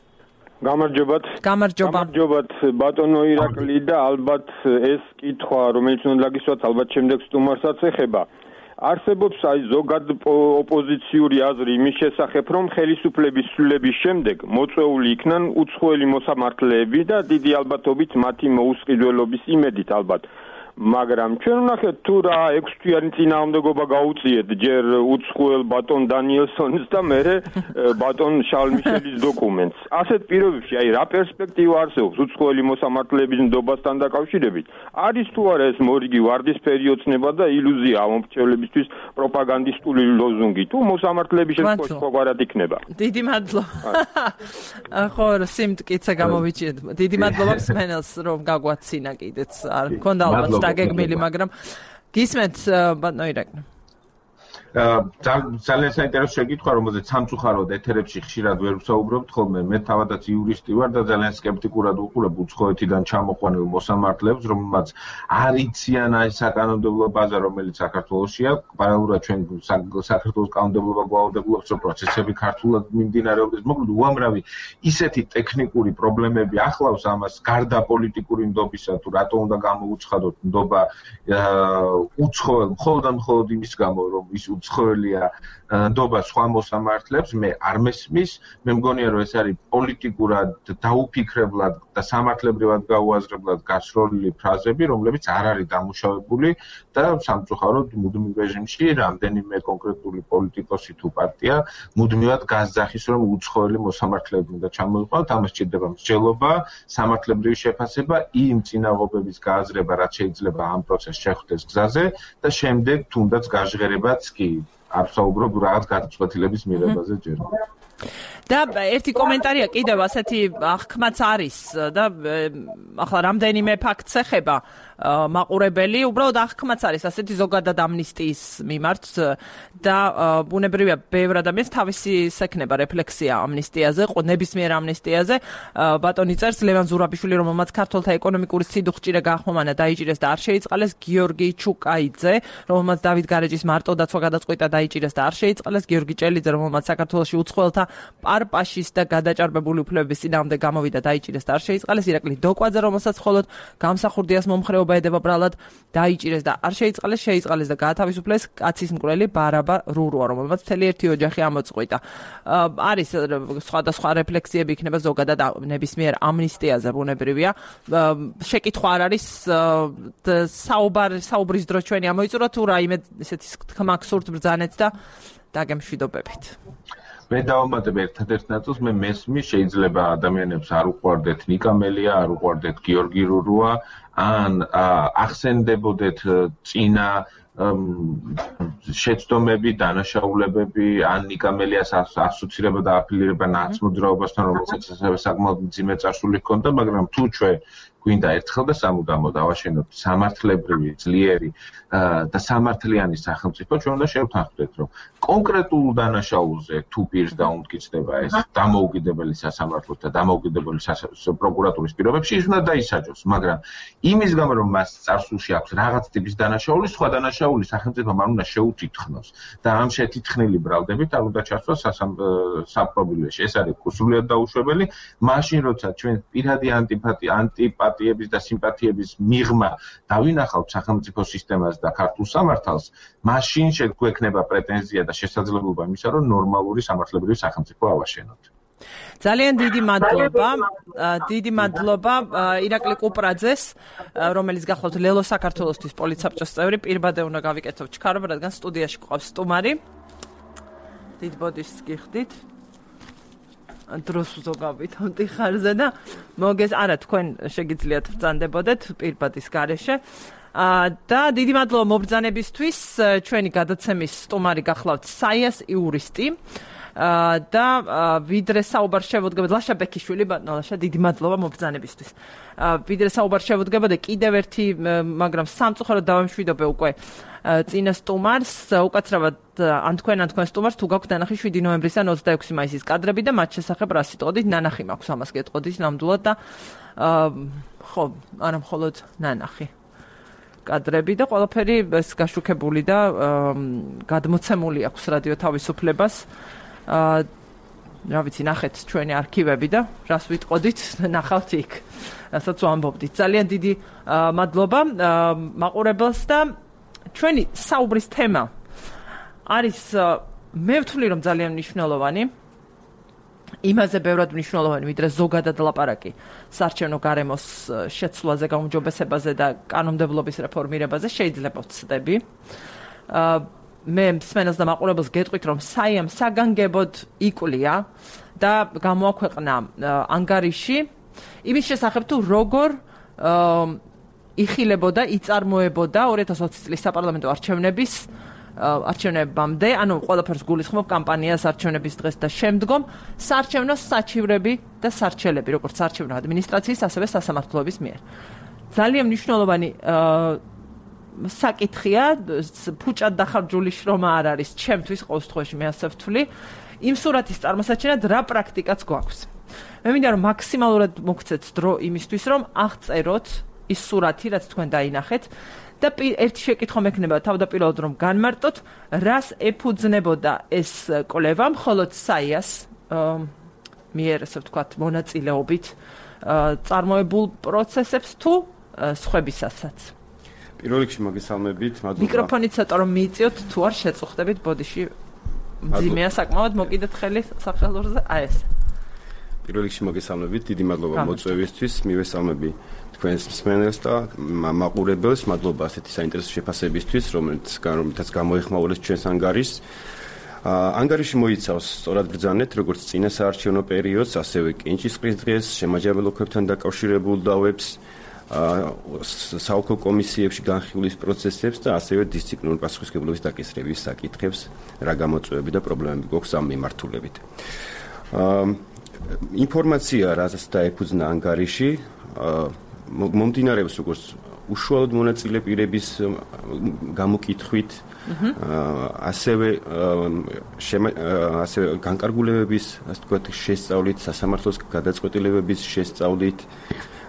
გამარჯობათ. გამარჯობათ ბატონო ირაკლი და ალბათ ეს კითხვა, რომელიც უნდა გისვათ, ალბათ შემდეგ სტუმარსაც ეხება. არსებობს აი ზოგად ოპოზიციური აზრი იმის შესახებ, რომ ხელისუფლების ცვლილების შემდეგ მოწვეული იქნან უცხოელი მოსამართლეები და დიდი ალბათობით მათი მოუსყიდველობის იმედით ალბათ მაგრამ ჩვენ ვნახეთ თუ რა 6 თვიანი წინააღმდეგობა გაუწიეთ ჯერ უცხოელ ბატონ დანიელსონს და მერე ბატონ შარლ მიშელის დოკუმენტს. ასეთ პირობებში აი რა პერსპექტივა არსებობს უცხოელი მოსამართლეების ნდობასთან დაკავშირებით? არის თუ არა ეს მორიგი ვარდისფერი ოცნება და ილუზია ამომრჩევლებისთვის პროპაგანდისტული ლოზუნგი თუ მოსამართლეების ეს ყოველად იქნება? დიდი მადლობა. ხო, სიმტკიცე გამოვიჭირეთ. დიდი მადლობა მსმენელს რომ გაგვაცინა კიდეც. არ მქონდა ალბათ დაგეგმილი, მაგრამ გისმენთ ბატონო ირაკლი. ძალიან საინტერესო შეკითხვა, რომელზეც სამწუხაროდ ეთერებში ხშირად ვერ ვსაუბრობთ ხოლმე. მე თავადაც იურისტი ვარ და ძალიან სკეპტიკურად ვუყურებ უცხოეთიდან ჩამოყვანილ მოსამართლეებს, რომელმაც არ იციან აი საკანონმდებლო ბაზა, რომელიც საქართველოშია. პარალელურად ჩვენ საქართველოს კანონმდებლობა გვაუდებულებს, რომ პროცესები ქართულად მიმდინარეობდეს. მოკლედ უამრავი ისეთი ტექნიკური პრობლემები ახლავს ამას, გარდა პოლიტიკური ნდობისა, თუ რატო უნდა გამოუცხადოთ ნდობა უცხოელ მხოლოდ იმის გამო, რომ ის უცხოელია ნდობა სხვა მოსამართლეებს, მე არ მესმის. მე მგონია რომ ეს არის პოლიტიკურად დაუფიქრებლად და სამართლებრივად გაუაზრებლად გაშროლილი ფრაზები, რომლებიც არ არის დამუშავებული და სამწუხაროდ მუდმივ რეჟიმში რამდენიმე კონკრეტული პოლიტიკოსი თუ პარტია მუდმივად გასძახის, რომ უცხოელი მოსამართლეები უნდა ჩამოიყვანოთ. ამას სჭირდება მსჯელობა, სამართლებრივი შეფასება, იმ წინაღობების გააზრება, რაც შეიძლება ამ პროცესს შეხვდეს გზაზე და შემდეგ თუნდაც გაჟღერებაც კი არ ვსაუბრობ რაღაც გადაწყვეტილების მიღებაზე ჯერ. და ერთი კომენტარია კიდევ ასეთი აღქმაც არის და ახლა რამდენიმე ფაქტს ეხება მაყურებელი, უბრალოდ აღქმაც არის ასეთი ზოგადად ამნისტიის მიმართ და ბუნებრივია ბევრ ადამიანს თავისი სექნება რეფლექსია ამნისტიაზე, ნებისმიერ ამნისტიაზე. ბატონი წერს ლევან ზურაბიშვილი, რომელმაც ქართველთა ეკონომიკური სიდუხჭირე გაახმოვანა, დაიჭირეს და არ შეიწყალეს, გიორგი ჩუკაიძე, რომელმაც დავით გარეჯის მარტოდაცვა გადაწყვიტა, დაიჭირეს და არ შეიწყალეს, გიორგი ჭელიძე, რომელმაც საქართველოში უცხოელთა პარპაშის და გადაჭარბებული უფლებების წინააღმდეგ გამოვიდა, დაიჭირეს და არ შეიწყალეს, ირაკლი დოკვაძე, რომელსაც მხოლოდ გამსახურდიას მომხრეობა ედება ბრალად, დაიჭირეს და არ შეიწყალეს და გაათავისუფლეს კაცის მკვლელი ბარაბა რურუა, რომელმაც მთელი ერთი ოჯახი ამოწყვიტა. არის სხვადასხვა რეფლექსიები იქნება ზოგადად ნებისმიერ ამნისტიაზე, ბუნებრივია. შეკითხვა არ არის საუბრის დრო ჩვენი ამოიწურა თუ რაიმე ესეთი თქმა გსურთ ბრძანეთ და დაგემშვიდობებით. მე დავამატებ ერთადერთ ნაწილს, მე მესმის შეიძლება ადამიანებს არ უყვარდეთ ნიკა მელია, არ უყვარდეთ გიორგი რურუა, ან ახსენდებოდეთ წინა შეცდომები, დანაშაულებები, ან ნიკა მელიას ასოცირება და აფილირება ნაცმოძრაობასთან, რომელსაც საკმაოდ მძიმე წარსული ჰქონდა, მაგრამ თუ ჩვენ გვინდა ერთხელ და სამუდამოდ ავაშენოთ სამართლებრივი, ძლიერი და სამართლიანი სახელმწიფო, ჩვენ უნდა შევთანხმდეთ, რომ კონკრეტულ დანაშაულზე თუ პირს დაუმტკიცდება ეს დამოუკიდებელი სასამართლოს და დამოუკიდებელი პროკურატურის პირობებში, ის უნდა დაისაჯოს, მაგრამ იმის გამო, რომ მას წარსულში აქვს რაღაც ტიპის დანაშაული, სხვა დანაშაული სახელმწიფომ არ უნდა შეუთითქმოს და ამ შეთითქმული ბრალდებით არ უნდა ჩასვას საპრობილეში. ეს არის სრულიად დაუშვებელი, მაშინ როცა ჩვენ პირადი ანტიპატიების და სიმპათიების მიღმა დავინახავთ სახელმწიფო სისტემას და ქართულ სამართალს, მაშინ შეგვექნება პრეტენზია და შესაძლებლობა იმისა, რომ ნორმალური სამართლებრივი სახელმწიფო ავაშენოთ. ძალიან დიდი მადლობა ირაკლი კუპრაძეს, რომელიც გახლავთ ლელო საქართველოსთვის პოლიცსაბჭოს წევრი. პირბადე უნდა გავიკეთოთ ჩქარობა, რადგან სტუდიაში გვყავს სტუმარი. დიდ ბოდიშს გიხდით. დროს ვზოგავით ამ ტიხარზე და არა თქვენ შეგიძლიათ ბრძანდებოდეთ პირბადის გარეშე. და დიდი მადლობა მობრძანებისთვის. ჩვენი გადაცემის სტუმარი გახლავთ საიას იურისტი. და ვიდრე საუბარ შევუდგებოდ ლაშა ბექიშვილი, ბატონო ლაშა, დიდი მადლობა მობრძანებისთვის. ვიდრე საუბარ შევუდგებოდ კიდევ ერთი, მაგრამ სამწუხაროდ დავემშვიდობე უკვე წინა სტუმარს, უკაცრავად ან თქვენ სტუმარს თუ გაქვთ ნანახი 7 ნოემბრისთან 26 მაისის კადრები და მათ შესახებ რა სიტყვით ნანახი მაქვს, ამას გეტყოდით ნამდვილად და ხო, არა მხოლოდ ნანახი კადრები და ყველაფერი ეს გაშუქებული და გადმოცემული აქვს რადიო თავისუფლებას. რა ვიცი, ნახეთ ჩვენი არქივები და რას ვიტყოდით, ნახავთ იქ, რასაც ვამბობდით. ძალიან დიდი მადლობა მაყურებელს და ჩვენი საუბრის თემა არის, მე ვთვლი, რომ ძალიან მნიშვნელოვანი. იმაზე ბევრად მნიშვნელოვანი, ვიდრე ზოგადად ლაპარაკი საარჩევნო გარემოს შეცვლაზე, გაუმჯობესებაზე და კანონმდებლობის რეფორმირებაზე შეიძლება ვცდები. მე მსმენელს და მაყურებელს გეტყვით, რომ საიამ საგანგებოდ იკვლია და გამოაქვეყნა ანგარიში იმის შესახებ, თუ როგორ იხილებოდა, იწარმოებოდა 2020 წლის საპარლამენტო არჩევნებამდე, ანუ ყველაფერს გულისხმობ კამპანიას არჩევნების დღეს და შემდგომ, საარჩევნო საჩივრები და სარჩელები, როგორც საარჩევნო ადმინისტრაციის, ასევე სასამართლოების მიერ. ძალიან მნიშვნელოვანი საკითხია, ფუჭად დახარჯული შრომა არ არის, ჩემთვის ყოველთვის მე ასე ვთვლი, იმ სურათის წარმოსაჩენად რა პრაქტიკაც გვაქვს. მე მინდა რომ მაქსიმალურად მოგცეთ დრო იმისთვის, რომ აღწეროთ ის სურათი, რაც თქვენ დაინახეთ და ერთი შეკითხვა მექნება თავდაპირველად რომ განმარტოთ, რას ეფუძნებოდა ეს კვლევა, მხოლოდ საიას მიერ, ასე ვთქვათ, მონაწილეობით წარმოებულ პროცესებს თუ სხვებისასაც. პირველ რიგში მოგესალმებით, მადლობა. მიკროფონი ცოტა რომ მიიწიოთ, თუ არ შეწუხდებით, ბოდიში მძიმეა საკმაოდ, მოკიდეთ ხელი სახელურზე, აი ეს. პირველ რიგში მოგესალმებით, დიდი მადლობა მოწვევისთვის, მივესალმები თქვენს მსმენელს და მაყურებელს, მადლობა ასეთი საინტერესო შეფასებისთვის, რომელთაც გამოეხმაურეს ჩვენს ანგარიშს. ანგარიში მოიცავს სწორად ბრძანეთ, როგორც წინა საარჩევნო პერიოდს, ასევე კენჭისყრის დღეს, შემაჯამებლობებთან დაკავშირებულ დავებს, საოლქო კომისიებში განხილვის პროცესებს და ასევე დისციპლინური პასუხისმგებლობის დაკისრების საკითხებს, რა გამოწვევები და პრობლემები გვაქვს ამ მიმართულებით. ინფორმაცია, რასაც დაეფუძნა ანგარიში, მომდინარეობს როგორც უშუალოდ მონაწილე პირების გამოკითხვით, ასევე განკარგულებების, ასე ვთქვათ, შესწავლით, სასამართლოს გადაწყვეტილებების შესწავლით,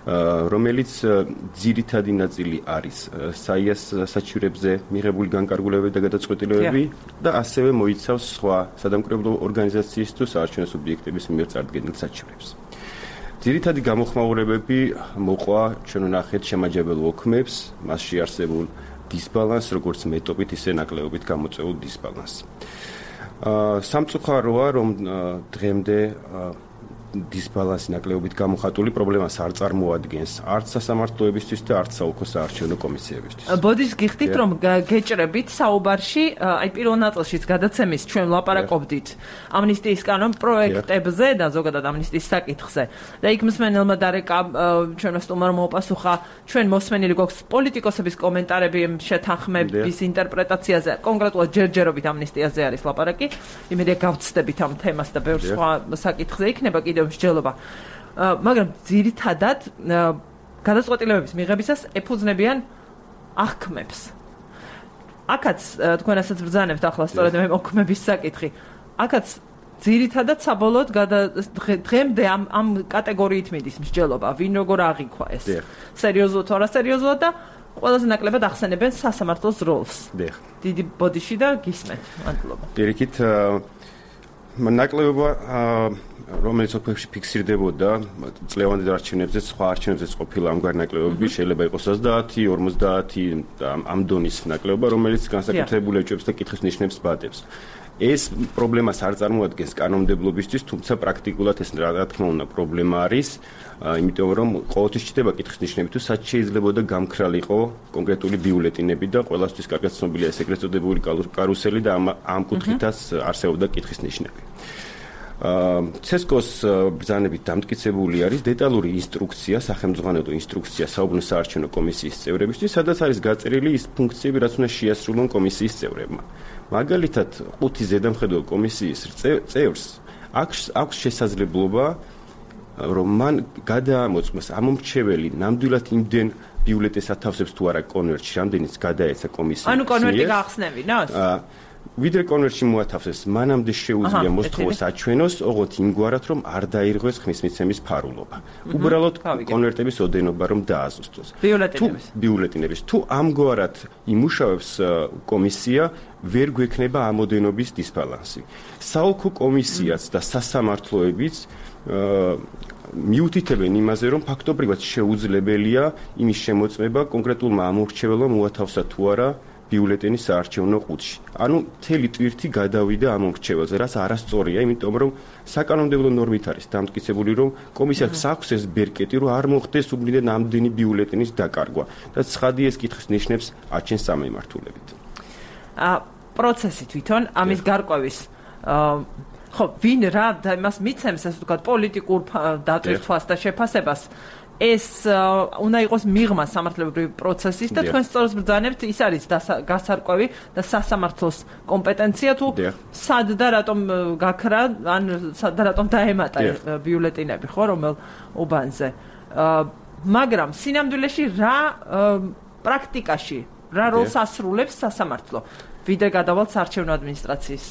რომელიც ძირითადი ნაწილი არის საიას საჩივრებზე მიღებული განკარგულებები და გადაწყვეტილებები და ასევე მოიცავს სხვა სადამკვირვებლო ორგანიზაციის თუ საარჩევნო სუბიექტების მიერ წარდგენილ საჩივრებს. ძირითადი გამოხმაურებები მოყვა ჩვენ ვნახეთ შემაჯამებელ ოქმებს, მასში არსებულ დისბალანსს, როგორც მეტობით, ისე ნაკლეობით გამოწვეულ დისბალანსს. სამწუხაროა, რომ დღემდე დისბალანსი ნაკლეობით გამოხატული პრობლემას არ წარმოადგენს არც სასამართლოებისთვის და არც საოლქო საარჩევნო კომისიებისთვის. ბოდის გიხდით, რომ გეჭრებით საუბარში, აი პირველ ნაწილშიც გადაცემის ჩვენ ლაპარაკობდით ამნისტიის კანონ პროექტებზე და ზოგადად ამნისტიის საკითხზე. და იქ მსმენელმა დარეკა ჩვენმა სტუმარმა მოუპასუხა, ჩვენ მოსმენილი გვაქვს პოლიტიკოსების კომენტარები შეთანხმების ინტერპრეტაციაზე, კონკრეტულად ჯერჯერობით ამნისტიაზე არის ლაპარაკი. იმედია გავცდებით ამ თემას და ბევრ სხვა საკითხზე იქნება კიდევ მსჯელობა. მაგრამ ძირითადად გადაწყვეტილებების მიღებისას ეფუძნებიან აღქმებს. აქაც თქვენ ასაც ბრძანებთ ახლა სწორედ მე ოქმების საკითხი. აქაც ძირითადად საბოლოოდ დღემდე ამ კატეგორიით მიდის მსჯელობა, ვინ როგორ აღიქვა ეს. სერიოზულად თუ არასერიოზულად და ყველაზე ნაკლებად ახსენებენ სასამართლოს როლს. დიდი ბოდიში და გისმენთ. მადლობა. პირიქით ნაკლებობა რომელიც ოქმებში ფიქსირდებოდა წლევანდელ არჩევნებზე, სხვა არჩევნებზეც ყოფილა ამგვარი ნაკლებობები, შეიძლება იყოს 30, 50 და ამ დონის ნაკლებობა, რომელიც განსაკუთრებული ეჭვებს და კითხვის ნიშნებს ბადებს. ეს პრობლემას არ წარმოადგენს კანონმდებლობისთვის, თუმცა პრაქტიკულად ეს რა თქმა უნდა პრობლემა არის, იმიტომ რომ ყოველთვის ჩნდება კითხვის ნიშნები, თუ სად შეიძლებოდა გამქრალიყო კონკრეტული ბიულეტინები და ყველასთვის კარგად ცნობილია ეს ეგრეთ წოდებული კარუსელი და ამ კუთხითაც არსებობდა კითხვის ნიშნები. CESCO-ს ბრძანებით დამტკიცებული არის დეტალური ინსტრუქცია, სახელმძღვანელო ინსტრუქცია საუბნო საარჩევნო კომისიის წევრებისთვის, სადაც არის გაწერილი ის ფუნქციები, რაც უნდა შეასრულონ კომისიის წევრებმა. მაგალითად, 5 ზედამხედველ კომისიის წევრს აქვს შესაძლებლობა, რომ მან გადაამოწმოს ამომრჩეველი ნამდვილად იმდენ ბიულეტენს ათავსებს თუ არა კონვერტში, რამდენიც გადაეცა კომისიას. ანუ კონვერტი გაახსნევინოს? ვიდრე კონვერტში მოათავსებს, მანამდე შეუძლია მოსთხოვოს აჩვენოს, ოღონდ იმგვარად, რომ არ დაირღვეს ხმისმიცემის ფარულობა. უბრალოდ კონვერტების ოდენობა რომ დააზუსტოს. ბიულეტენების. თუ ამგვარად იმუშავებს კომისია, ვერ გვექნება ამოდენობის დისბალანსი. საოლქო კომისიაც და სასამართლოებიც მიუთითებენ იმაზე, რომ ფაქტობრივად შეუძლებელია იმის შემოწმება კონკრეტულმა ამორჩეველმა მოათავსა თუ არა ბიულეტენის საარჩევნო ყუთში. ანუ მთელი ტვირთი გადავიდა ამ მრჩეველზე, რაც არასწორია, იმიტომ რომ საკანონმდებლო ნორმით არის დამტკიცებული, რომ კომისიას აქვს ეს ბერკეტი, რომ არ მოხდეს უბრალოდ ამდენი ბიულეტენის დაკარგვა და ცხადი ეს კითხვის ნიშნებს აჩენს სამემართულებით. პროცესი თვითონ ამის გარკვევის ხო ვინ რა და იმას მიცემს ასე ვთქვათ პოლიტიკურ დატვირთვას და შეფასებას ეს უნდა იყოს მიღმა სამართლებრივი პროცესის და თქვენ სწორად ბრძანებთ ის არის გასარკვევი და სასამართლოს კომპეტენცია თუ სად და რატომ გაქრა ან სად და რატომ დაემატა ბიულეტენები ხო რომელ უბანზე მაგრამ სინამდვილეში რა პრაქტიკაში რა როლს ასრულებს სასამართლო ვიდრე გადავალთ საარჩევნო ადმინისტრაციის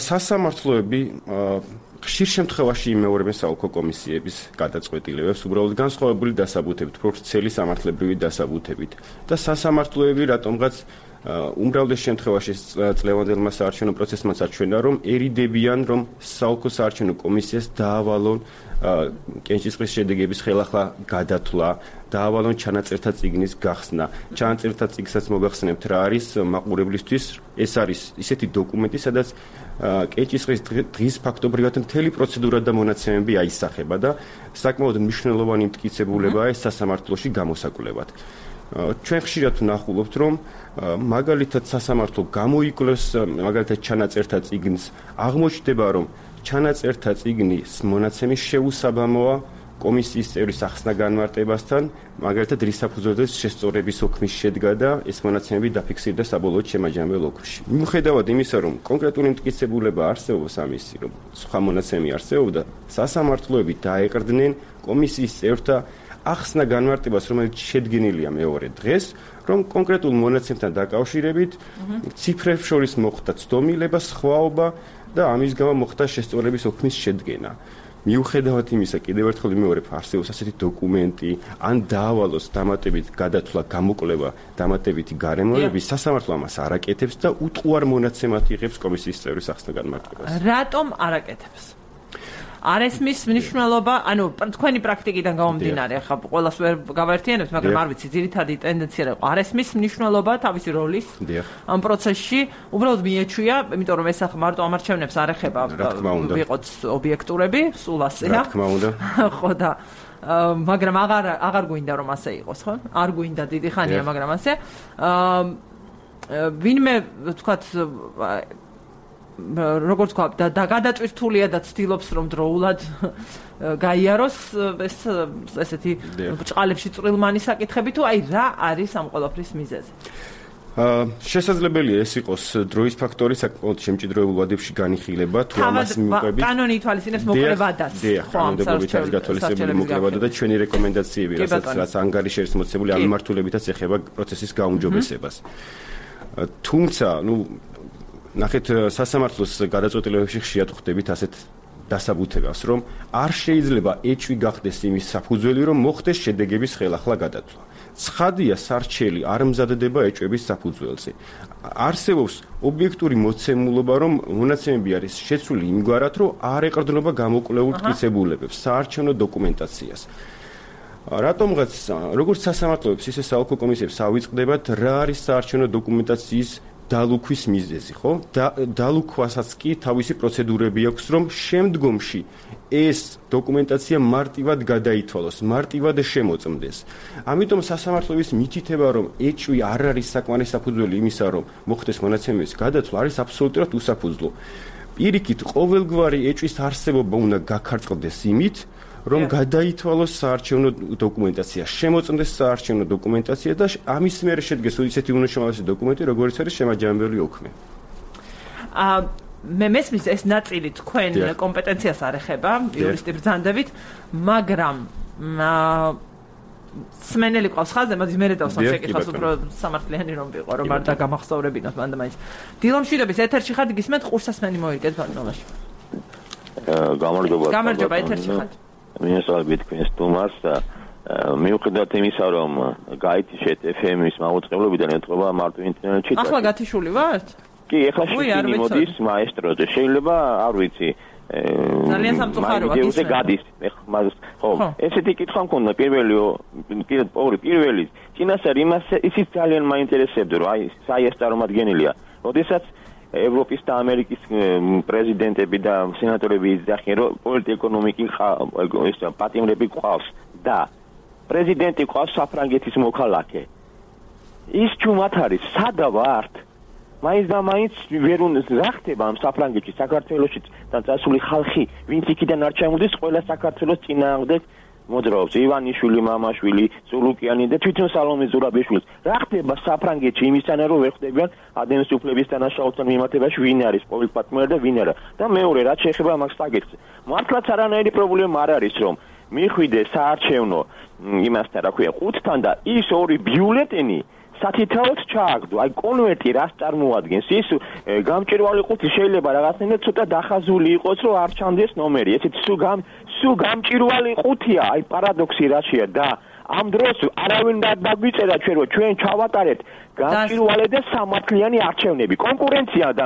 სასამართლოები ხშირ შემთხვევაში იმეორებენ საოლქო კომისიების გადაწყვეტილებებს უბრალოდ განსხვავებული დასაბუთებით, პროფესიული სამართლებრივი დასაბუთებით და სასამართლოები რატომღაც უმრავლეს შემთხვევაში წლევანდელმა საარჩევნო პროცესმა საჩვენა, რომ ერიდებიან, რომ საოლქო საარჩევნო კომისიას დაავალონ კენჭისყრის შედეგების ხელახლა გადათვლა, დაავალონ ჩანაწერთა წიგნის გახსნა. ჩანაწერთა წიგნსაც მოგახსენებთ რა არის მაყურებლისთვის, ეს არის ისეთი დოკუმენტი, სადაც კენჭისყრის დღის ფაქტობრივად მთელი პროცედურა და მონაცემები აისახება და საკმაოდ მნიშვნელოვანი მტკიცებულებაა ეს სასამართლოში გამოსაკვლევად. ჩვენ ხშირად ვნახულობთ, რომ მაგალითად სასამართლო გამოიკვლევს მაგალითად ჩანაწერთა წიგნს, აღმოჩნდება, რომ ჩანაწერთა წიგნის მონაცემის შეუსაბამოა კომისიის წევრის ახსნა განმარტებასთან, მაგალითად რის საფუძველზეც შესწორების ოქმის შედგა და ეს მონაცემები დაფიქსირდა საბოლოოდ შემაჯამებელ ოქმში. მიუხედავად იმისა, რომ კონკრეტული მტკიცებულება არსებობს ამისი, რომ სხვა მონაცემი არსებობდა, სასამართლოები დაეყრდნენ კომისიის წევრთა ახსნა განმარტებას, რომელიც შედგენილია მეორე დღეს, რომ კონკრეტულ მონაცემთან დაკავშირებით ციფრებს შორის მოხდა ცდომილება, სხვაობა და ამის გამო მოხდა შესწორების ოქმის შედგენა. მიუხედავად იმისა, კიდევ ერთხელ ვიმეორებ, არსებობს ასეთი დოკუმენტი, ან დაავალოს დამატებით გადათვლა, გამოკვლევა, დამატებითი გარემოებები, სასამართლო ამას არაკეთებს და უტყუარ მონაცემად იღებს კომისიის წევრის ახსნა განმარტებას. რატომ არაკეთებს? არ ესმის მნიშვნელობა, ანუ თქვენი პრაქტიკიდან გამომდინარე, ახლა ყველას ვერ გავაერთიანებთ, მაგრამ არ ვიცი, ძირითადი ტენდენცია რა იყო. არ ესმის მნიშვნელობა თავისი როლის ამ პროცესში, უბრალოდ მიეჩვია, იმიტომ რომ ეს ახლა მარტო ამარჩევნებს არ ეხება, ვიყოთ ობიექტურები, სულ ასეა. რა თქმა უნდა. ხო და მაგრამ აღარ გვინდა რომ ასე იყოს, ხო? არ გვინდა დიდი ხანია, მაგრამ ასე. ვინმე თქვათ როგორც თქვა და გადაწვირთულია და ცდილობს რომ დროულად გაიაროს ეს ესეთი ბჭყალებში წვრილმანი საკითხები თუ აი რა არის ამ ყველაფრის მიზეზი შესაძლებელია ეს იყოს დროის ფაქტორი საკმაოდ შემჭიდროებულ ვადებში განიხილება თუ ამას მივყვებით კანონი ითვალისწინებს მოკლებადაც ხო ამ დაგობითად გათვალისწინებული მოკლებადა და ჩვენი რეკომენდაციები რასაც ანგარიშერის მოცემული ამ მიმართულებითაც ეხება პროცესის გაუმჯობესებას თუმცა ნახეთ სასამართლოს გადაწყვეტილებებში ხშირად ხვდებით ასეთ დასაბუთებას, რომ არ შეიძლება ეჭვი გახდეს იმის საფუძველი, რომ მოხდეს შედეგების ხელახლა გადათვლა. ცხადია, სარჩელი არ მზადდება ეჭვების საფუძველზე. არსებობს ობიექტური მოცემულობა, რომ მონაცემები არის შეცვლილი იმგვარად, რომ არ ეყრდნობა გამოკვლეულ მტკიცებულებებს, საარჩევნო დოკუმენტაციას. რატომღაც როგორც სასამართლოებს, ისე საოლქო კომისიებს ავიწყდებათ, რა არის საარჩევნო დოკუმენტაციის დალუქვის მიზეზი, ხო? დალუქვასაც კი თავისი პროცედურები აქვს, რომ შემდგომში ეს დოკუმენტაცია მარტივად გადაითვალოს, მარტივად შემოწმდეს. ამიტომ სასამართლოების მითითება, რომ ეჭვი არ არის საკმარის საფუძველი იმისა, რომ მოხდეს მონაცემების გადათვლა, არის აბსოლუტურად უსაფუძვლო. პირიქით, ყოველგვარი ეჭვის არსებობა უნდა გაქარწყლდეს იმით, რომ გადაითვალოს საარჩევნო დოკუმენტაცია, შემოწმდეს საარჩევნო დოკუმენტაცია და ამის მერე შედგეს ისეთი უმნიშვნელოვანესი დოკუმენტი, როგორც არის შემაჯამებელი ოქმი. მე მესმის ეს ნაწილი თქვენ კომპეტენციას არ ეხება, იურისტი ბრძანდებით, მაგრამ სმენელი ყავს ხაზზე, მაგრამ მე დავსვამ შეკითხვას უფრო სამართლიანი რომ ვიყო, რომ არ დაგამახსოვრებინოთ მანდა მაინც. დილომშვიდობის ეთერში ხართ, გისმენთ ყურსასმენი მოიგეთ ბატონობაში. გამარჯობა ეთერში ხართ. მინესალები თქვენს თუმას და მიუხედავად იმისა, რომ გაითიშეთ FM-ის მაუწყებლობიდან ეთყობა მარტო ინტერნეტში. ახლა გათიშული ვართ? კი, ახლა შეგინი მოდის მაესტროზე. შეიძლება, არ ვიცი, ძალიან სამწუხაროა ისე გადის ხო ესეთი კითხვა მქონდა პირველი წინასწარ ისიც ძალიან მაინტერესებდა რომ აი საიას წარმომადგენელია როდესაც ევროპის და ამერიკის პრეზიდენტები და სენატორები იძახიან რომ პოლიტიკო-ეკონომიკი პატიმრები ყავს და პრეზიდენტი ყავს საფრანგეთის მოქალაქე ის ჩუმად არის სადა ვართ მაინც და მაინც ვერ უნდა ხდება ამ საფრანგეთში საქართველოში და წასული ხალხი ვინც იქიდან არ ჩამოდის ყველა საქართველოს წინააღმდეგ მოძრაობს ივანიშვილი მამაშვილი ზულუკიანი და თვითონ სალომე ზურაბიშვილი რა ხდება საფრანგეთში იმისთანა რომ ვერ ხდებიან ადამიანის უფლების დანაშაულთან მიმართებაში ვინ არის პოლიტპარტნიორი და ვინ არა და მეორე რაც შეეხება მაგ საკითხს მართლაც არანაირი პრობლემა არ არის რომ მიხვიდე საარჩევნო იმასთან რა ქვია ყუთთან და ის ორი ბიულეტენი სათითაოდ ჩააგდო აი კონვერტი რას წარმოადგენს ის გამჭირვალი ყუთი შეიძლება რაღაცნაირად ცოტა დახაზული იყოს რომ არ ჩანდეს ნომერი ესეთ სულ გამჭირვალი ყუთია აი პარადოქსი რაშია და ამ დროს არავინ დაგვიწერა ჩვენ ჩავატარეთ გამჭირვალე და სამართლიანი არჩევნები კონკურენცია და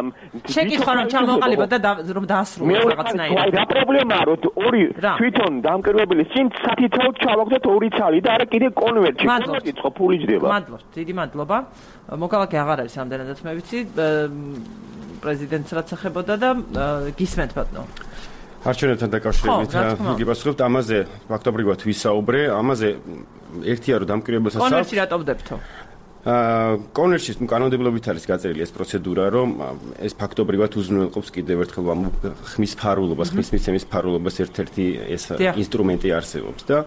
შეკითხვა რომ ჩამოყალიბოთ და რომ დაასრულოს რაღაცნაირად აი რა პრობლემაა რომ ორი თვითონ დამკვირვებელი წინ სათითაოდ ჩავაგდოთ ორი ცალი და არა კიდე კონვერტი ხო ფული ჯდება მადლობთ დიდი მადლობა მოქალაქე აღარ არის ამდენადაც მე ვიცი პრეზიდენტს რაც ეხებოდა და გისმენთ ბატონო არჩევნებთან დაკავშირებით გიპასუხებთ ამაზე ფაქტობრივად ვისაუბრე ამაზე ერთია რომ დამკვირვებელს კონვერტი რატომ ვდებთო კონვერტში კანონმდებლობით არის გაწერილი ეს პროცედურა რომ ეს ფაქტობრივად უზრუნველყოფს კიდევ ერთხელ ხმის ფარულობას ხმის მიცემის ფარულობას ერთ-ერთი ეს ინსტრუმენტი არსებობს და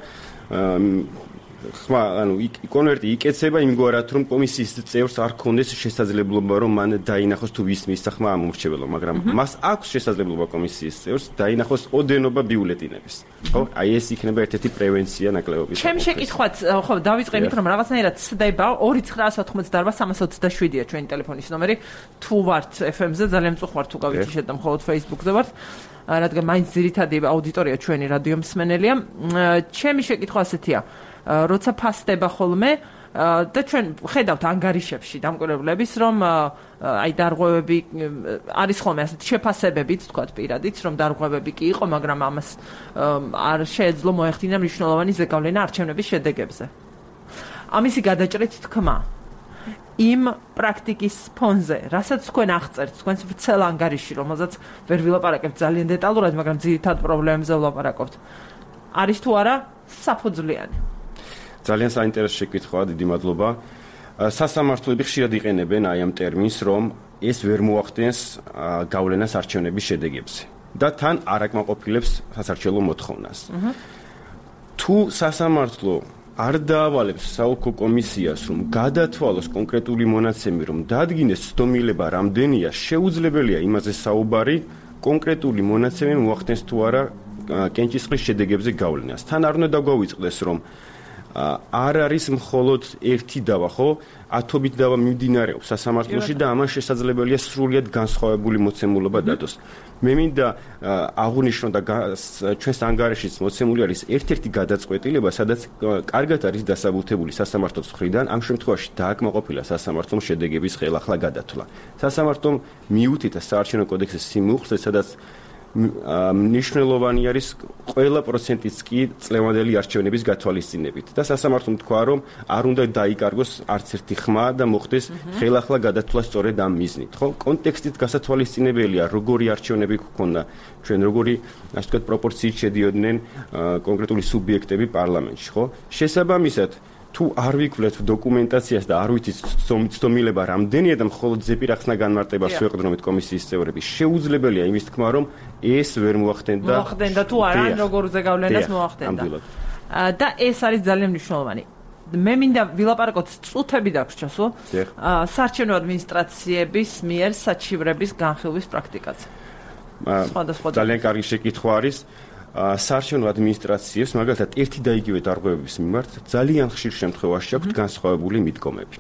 ხმა ანუ კონვერტი იკეცება იმგვარად რომ კომისიის წევრს არ ქონდეს შესაძლებლობა რომ მან დაინახოს თუ ვის მისცა ხმა ამ ურჩეველო მაგრამ მას აქვს შესაძლებლობა კომისიის წევრს დაინახოს ოდენობა ბიულეტინების ხო აი ეს იქნება ერთ-ერთი პრევენცია ნაკლებობის ჩემი შეკითხვაც ხო დავიწყე იმით რომ რაღაცნაირად ცდება 2990-327-ია ჩვენი ტელეფონის ნომერი თუ ვართ FM-ზე ძალიან მწუხვართ თუ გავიჩიშეთ და მხოლოდ Facebook-ზე ვართ რადგან მაინც ძირითადი აუდიტორია ჩვენი რადიო მსმენელია ჩემი შეკითხვა ასეთია როცა ფასდება ხოლმე და ჩვენ ხედავთ ანგარიშებში დამკვირვებლების რომ აი დარღვევები არის ხოლმე ასეთ შეფასებებით თქვათ პირადით რომ დარღვევები კი იყო მაგრამ ამას არ შეეძლო მოეხდინა მნიშვნელოვანი ზეგავლენა არჩევნების შედეგებზე ამისი გადაჭრით თქმა იმ პრაქტიკის ფონზე რასაც თქვენ აღწერთ თქვენს ვრცელ ანგარიში რომელზეც ვერ ვილაპარაკებთ ძალიან დეტალურად მაგრამ ძირითად პრობლემებზე ვლაპარაკობთ არის თუ არა საფუძვლიანი ძალიან საინტერესო შეკითხვაა, დიდი მადლობა. სასამართლოები ხშირად იყენებენ აი ამ ტერმინს, რომ ეს ვერ მოახდენს გავლენას არჩევნების შედეგებზე და თან არ აკმაყოფილებს სასარჩელო მოთხოვნას. თუ სასამართლო არ დაავალებს საოლქო კომისიას, რომ გადათვალოს კონკრეტული მონაცემი, რომ დადგინეს ცდომილება რამდენია, შეუძლებელია იმაზე საუბარი, კონკრეტული მონაცემი მოახდენს თუ არა კენჭისყრის შედეგებზე გავლენას. თან არ უნდა დაგვავიწყდეს, რომ არ არის მხოლოდ ერთი დავა, ხო? ათობით დავა მიმდინარეობს სასამართლოში და ამან შესაძლებელია სრულიად განსხვავებული მოცემულობა დადოს. მე მინდა აღვნიშნო და ჩვენს ანგარიშიც მოცემული არის ერთ-ერთი გადაწყვეტილება, სადაც კარგად არის დასაბუთებული სასამართლოს მხრიდან, ამ შემთხვევაში დააკმაყოფილა სასამართლომ შედეგების ხელახლა გადათვლა. სასამართლომ მიუთითა საარჩევნო კოდექსის სიმუხლე, სადაც მნიშვნელოვანი არის ყველა პროცენტიც კი წლევანდელი არჩევნების გათვალისწინებით და სასამართლომ თქვა რომ არ უნდა დაიკარგოს არც ერთი ხმა და მოხდეს ხელახლა გადათვლა სწორედ ამ მიზნით ხო კონტექსტით გასათვალისწინებელია როგორი არჩევნები გქონდა ჩვენ როგორი ასე ვთქვათ პროპორციით შედიოდნენ კონკრეტული სუბიექტები პარლამენტში ხო შესაბამისად თუ არ ვიკვლებთ დოკუმენტაციას და არ ვიცით ცდომილება რამდენია და მხოლოდ ზეპირახსნა განმარტებას ვეყდრომით კომისიის წევრები შეუძლებელია იმის თქმა რომ ეს ვერ მოახდენდა თუ არა როგორ ზეგავლენას მოახდენდა და ეს არის ძალიან მნიშვნელოვანი მე მინდა ვილაპარაკოთ წუთები დაგვრჩასო საარჩევნო ადმინისტრაციების მიერ საჩივრების განხილვის პრაქტიკაზე ძალიან კარგი შეკითხვა არის საარჩევნო ადმინისტრაციებს მაგალითად ერთი და იგივე დარღვევების მიმართ ძალიან ხშირ შემთხვევაში აქვთ განსხვავებული მიდგომები.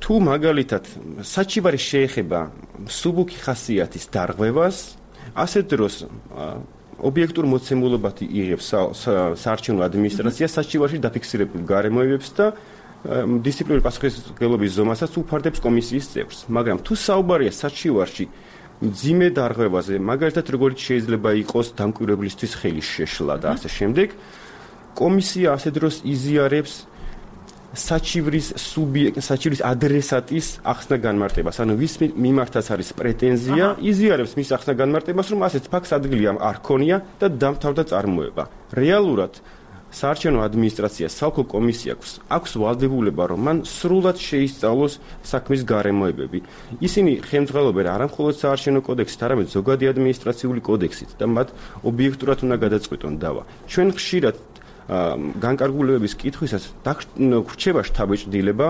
თუ მაგალითად საჩივარი შეეხება სუბუქი ხასიათის დარღვევას, ასეთ დროს ობიექტურ მოცემულობად იღებს საარჩევნო ადმინისტრაცია საჩივარში დაფიქსირებულ გარემოებებს და დისციპლინური პასუხისმგებლობის ზომასაც უფარდებს კომისიის წევრს. მაგრამ თუ საუბარია საჩივარში მძიმე დარღვევაზე, მაგალითად როგორიც შეიძლება იყოს დამკვირვებლისთვის ხელის შეშლა და ასე შემდეგ. კომისია ასე დროს იზიარებს საჩივრის ადრესატის ახსნა განმარტებას, ანუ ვის მიმართაც არის პრეტენზია, იზიარებს მის ახსნა განმარტებას, რომ ასეთ ფაქტს ადგილი არ ქონია და დამთავრდა წარმოება. რეალურად საარჩევნო ადმინისტრაციას საოლქო კომისიას აქვს ვალდებულება, რომ მან სრულად შეისწავლოს საქმის გარემოებები. ისინი ხელმძღვანელობენ არა მხოლოდ საარჩევნო კოდექსით, არამედ ზოგადი ადმინისტრაციული კოდექსით და მათ ობიექტურად უნდა გადაწყვეტონ დავა. ჩვენ ხშირად განკარგულებების კითხვისას გვრჩება შთაბეჭდილება,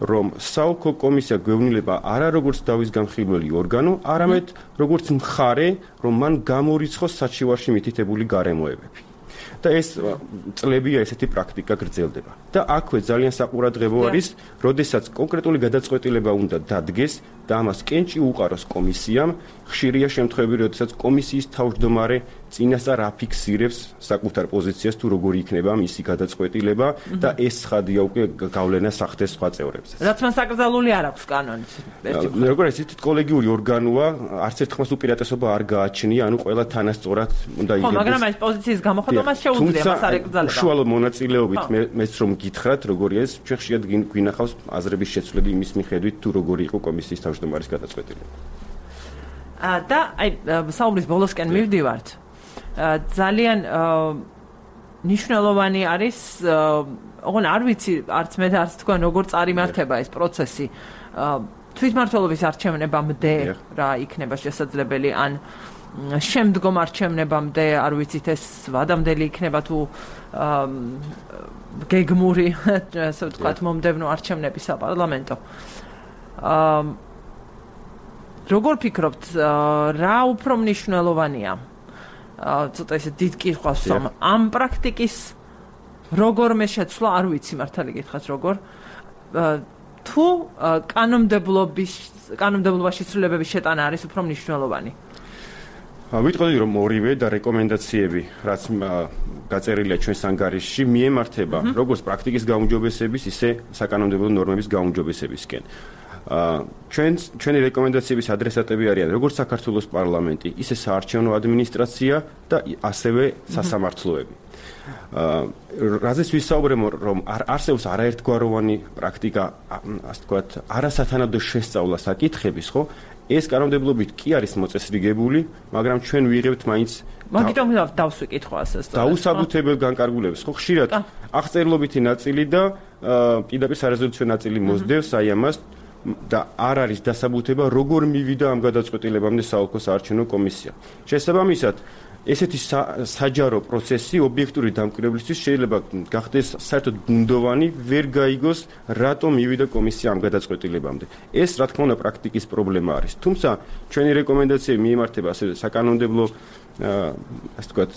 რომ საოლქო კომისია გვეუბნება არა როგორც დავის გამხილველი ორგანო, არამედ როგორც მხარე, რომ მან გამორიცხოს საჩივარში მითითებული გარემოებები. და ეს წლებია ესეთი პრაქტიკა გრძელდება. და აქვე ძალიან საყურადღებო არის, როდესაც კონკრეტული გადაწყვეტილება უნდა დადგეს და ამას კენჭი უყაროს კომისიამ, ხშირია შემთხვევები, როდესაც კომისიის თავმჯდომარე წინასწარ აფიქსირებს საკუთარ პოზიციას თუ როგორი იქნება მისი გადაწყვეტილება და ეს ცხადია უკვე გავლენა სახდეს სხვა წევრებზე. რაც მან საკრძალული არ აქვს კანონით. როგორ ეს კოლეგიური ორგანოა, არც ერთხმას უპირატესობა არ გააჩნია, ანუ ყველა თანასწორად უნდა იღებს. ხო, მაგრამ ეს პოზიციის გამოხატვას შეუძლია მას არ ეკრძალება. უშუალო მონაწილეობით მეც რომ გითხრათ, როგორია ეს, ჩვენ ხშირად გვინახავს აზრების შეცვლები იმის მიხედვით, თუ როგორი იყო კომისიის თავმჯდომარის გადაწყვეტილება. და აი საუბრის ბოლოსკენ მივდივართ. ძალიან მნიშვნელოვანი არის, ოღონდ არ ვიცი, არც მე და არც თქვენ როგორ წარიმართება ეს პროცესი. თვითმმართველობის არჩევნებამდე რა იქნება შესაძლებელი, ან შემდგომ არჩევნებამდე, არ ვიცით ეს ვადამდელი იქნება თუ გეგმური, ასე ვთქვათ, მომდევნო არჩევნები საპარლამენტო. როგორ ფიქრობთ, რა უფრო მნიშვნელოვანია? ცოტა ისე დიდ კითხვას ვსვამ. ამ პრაქტიკის როგორმე შეცვლა, არ ვიცი მართალი გითხრათ როგორ. თუ კანონმდებლობაში ცვლილებების შეტანა არის უფრო მნიშვნელოვანი? ვიტყოდი რომ ორივე და რეკომენდაციები, რაც გაწერილია ჩვენს ანგარიშში, მიემართება როგორც პრაქტიკის გაუმჯობესების, ისე საკანონმდებლო ნორმების გაუმჯობესებისკენ. ჩვენი რეკომენდაციების ადრესატები არიან როგორც საქართველოს პარლამენტი, ისე საარჩევნო ადმინისტრაცია და ასევე სასამართლოები. რაზეც ვისაუბრებ, რომ არსებობს არაერთგვაროვანი პრაქტიკა, ასე ვთქვათ, არასათანადო შესწავლა საკითხების, ხო? ეს კანონმდებლობით კი არის მოწესრიგებული, მაგრამ ჩვენ ვიღებთ მაინც მაგიტომ დავსვიკითხო ასეც. დაუსაბუთებელ განკარგულებს, ხო, ხშირად აღწერილობითი ნაწილი და პირდაპირ სარეზოლუციო ნაწილი მოსდევს აი ამას და არ არის დასაბუთება, როგორ მივიდა ამ გადაწყვეტილებამდე საოლქო საარჩევნო კომისია. შესაბამისად, ესეთი საჯარო პროცესი ობიექტური დამკვირვებლისთვის შეიძლება გახდეს საერთოდ ბუნდოვანი, ვერ გაიგოს, რატომ მივიდა კომისია ამ გადაწყვეტილებამდე. ეს, რა თქმა უნდა, პრაქტიკის პრობლემა არის. თუმცა, ჩვენი რეკომენდაციები მიემართება ასე საკანონმდებლო ასე ვთქვათ,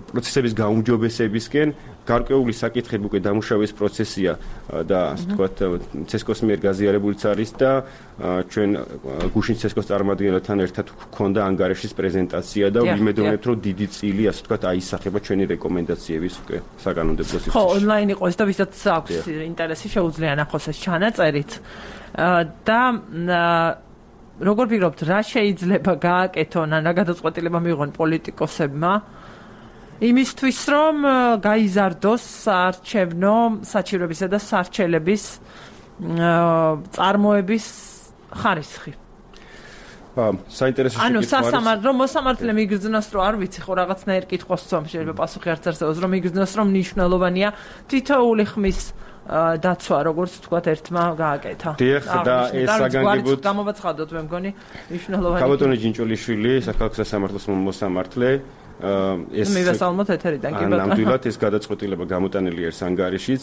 პროცესების გაუმჯობესებისკენ, გარკვეული საკითხები უკვე დამუშავების პროცესია და ასე ვთქვათ, ცესკოს მიერ გაზიარებულიც არის და ჩვენ გუშინ ცესკოს წარმომადგენელთან ერთად გვქონდა ანგარიშის პრეზენტაცია და ვიმედოვნებთ, რომ დიდი წილი, ასე ვთქვათ, აისახება ჩვენი რეკომენდაციების უკვე საკანონმდებლო სივრცეში. ხო, ონლაინ იყოს და ვისაც აქვს ინტერესი, შეუძლია ნახოს ეს ჩანაწერით. და როგორ ფიქრობთ, რა შეიძლება გააკეთონ ან რა გადაწყვეტილება მიიღონ პოლიტიკოსებმა იმისთვის, რომ გაიზარდოს საარჩევნო საჩივრებისა და სარჩელების წარმოების ხარისხი? საინტერესო შეკითხვა არის. რომ მოსამართლე მიგრძნოს, რომ არ ვიცი, ხო რაღაცნაირ კითხვას ვსვამ, შეიძლება პასუხი არც არსებობს, რომ მიგრძნოს, რომ მნიშვნელოვანია თითოეული ხმის დაცვა, როგორც ვთქვათ, ერთმა გააკეთა. დიახ, და ეს საგანგებოდ გამოვაცხადოთ, მე მგონი, მნიშვნელოვანი. ქალბატონი ჯინჭოლიშვილი, საქალაქო სასამართლოს მოსამართლე, ეს მივესალმოთ ეთერიდან, კი ბატონო. ნამდვილად ეს გადაწყვეტილება გამოტანილი არის ანგარიშიც,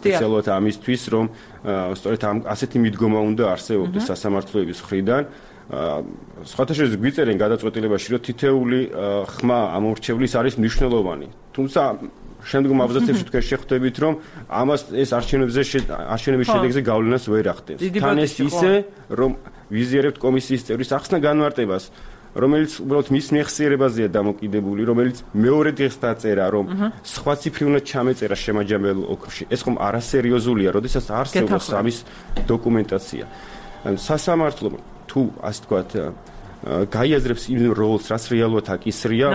სპეციალურად ამისთვის, რომ სწორედ ასეთი მიდგომა უნდა არსებობდეს სასამართლოების მხრიდან. სხვათა შორის გვიწერენ გადაწყვეტილებაში, რომ თითეული ხმა ამორჩევლის არის მნიშვნელოვანი. თუმცა შემდგომ აბზაცებში თქვენ შეხვდებით, რომ ამას ეს არჩევნების შედეგზე გავლენას ვერ ახდენს. თან ეს ისე, რომ ვიზიარებთ კომისიის წევრის ახსნა განმარტებას, რომელიც უბრალოდ მის მეხსიერებაზეა დამოკიდებული, რომელიც მეორე დღეს დაწერა, რომ სხვა ციფრი უნდა ჩამეწერა შემაჯამებელ ოქროში. ეს ხომ არასერიოზულია, როდესაც არსებობს ამის დოკუმენტაცია. სასამართლომ თუ ასე ვთქვათ გაიაზრებს იმ როლს, რაც რეალურად აკისრია,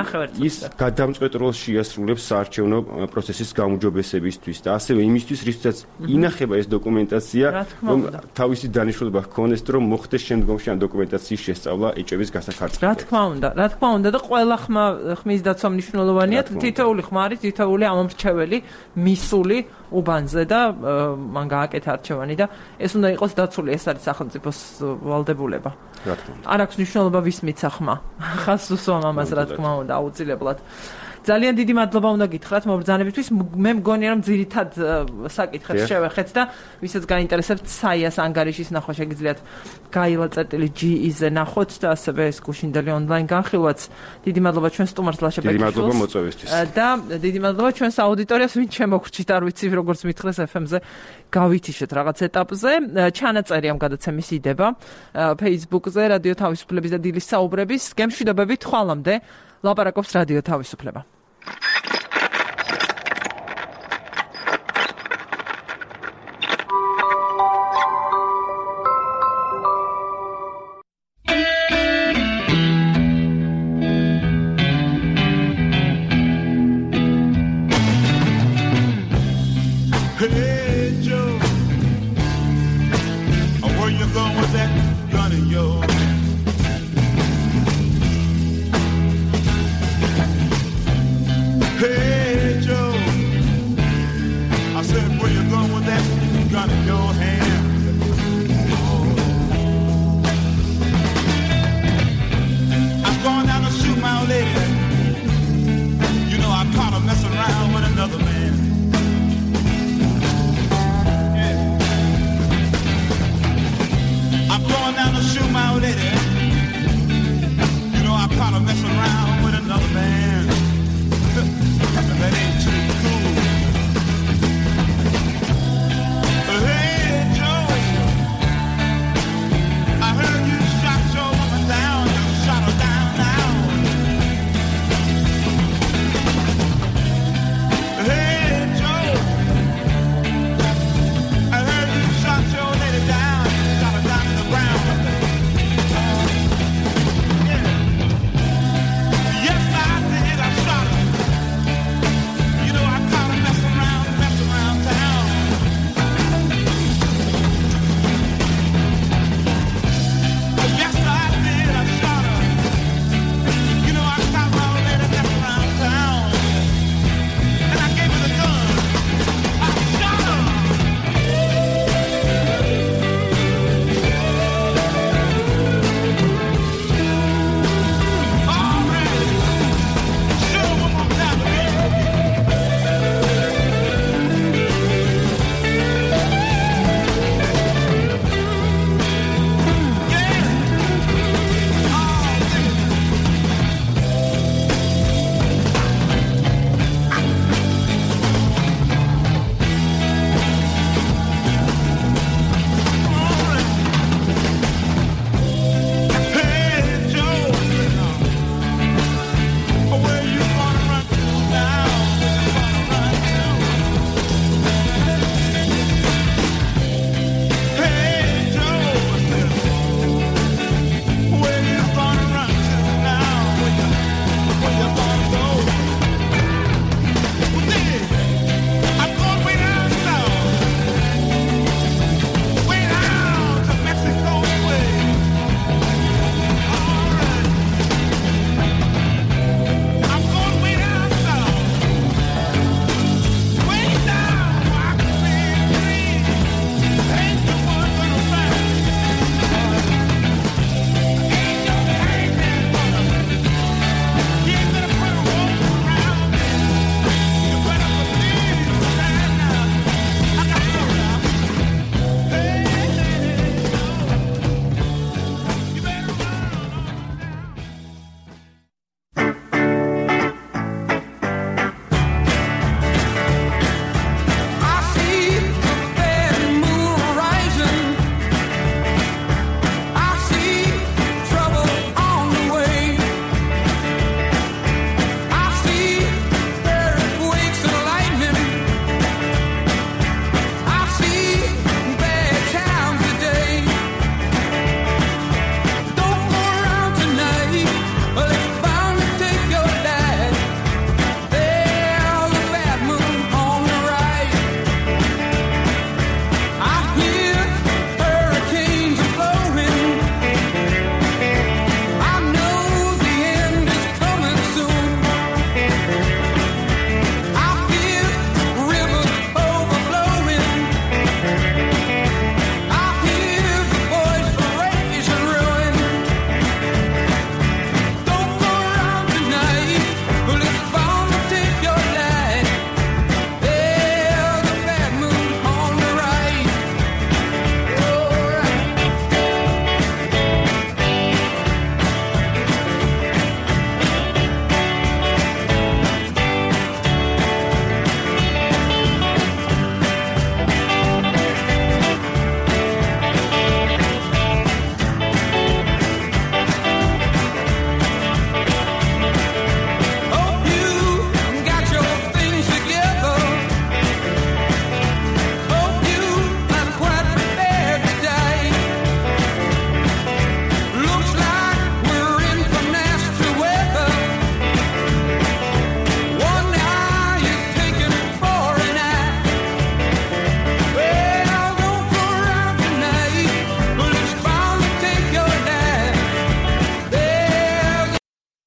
ის გადამწყვეტ როლს შეასრულებს საარჩევნო პროცესის გაუმჯობესებისთვის და ასევე იმისთვის, რითაც ინახება ეს დოკუმენტაცია, რომ თავისი დანიშნულება ჰქონდეს, რომ მოხდეს შემდგომში ამ დოკუმენტაციის შესწავლა ეჭების გასახარწყლად. რა თქმა უნდა და ყველა ხმის დაცვა მნიშვნელოვანია, თითოეული ხმარი, თითოეული ამომრჩეველი მისული უბანზე და მან გააკეთა არჩევანი და ეს უნდა იყოს დაცული, ეს არის სახელმწიფოს ვალდებულება. რა თქმა უნდა. არ აქვს მნიშვნელობა ვის მიცა ხმა. ხას უსვამ ამას რა თქმა უნდა აუცილებლად. ძალიან დიდი მადლობა უნდა გითხრათ მობრძანებისთვის. მე მგონია რომ ძირითად საკითხებს შევეხეთ და ვისაც გაინტერესებთ საიას ანგარიშის ნახვა შეგიძლიათ gaila.ge-ზე ნახოთ და ასევე ეს გუშინდელი ონლაინ განხილვაც. დიდი მადლობა ჩვენ სტუმარს ლაშა ბეკიშვილს. დიდი მადლობა მოწვევისთვის. და დიდი მადლობა ჩვენს აუდიტორიას ვინ შემოგრჩით არ ვიცი როგორც მითხრეს FM-ზე გავითიშეთ რაღაც ეტაპზე. ჩანაწერი ამ გადაცემის იდება Facebook-ზე რადიო თავისუფლების და დილის საუბრების. გემშვიდობებით ხვალამდე ლაპარაკობს რადიო თავისუფლება.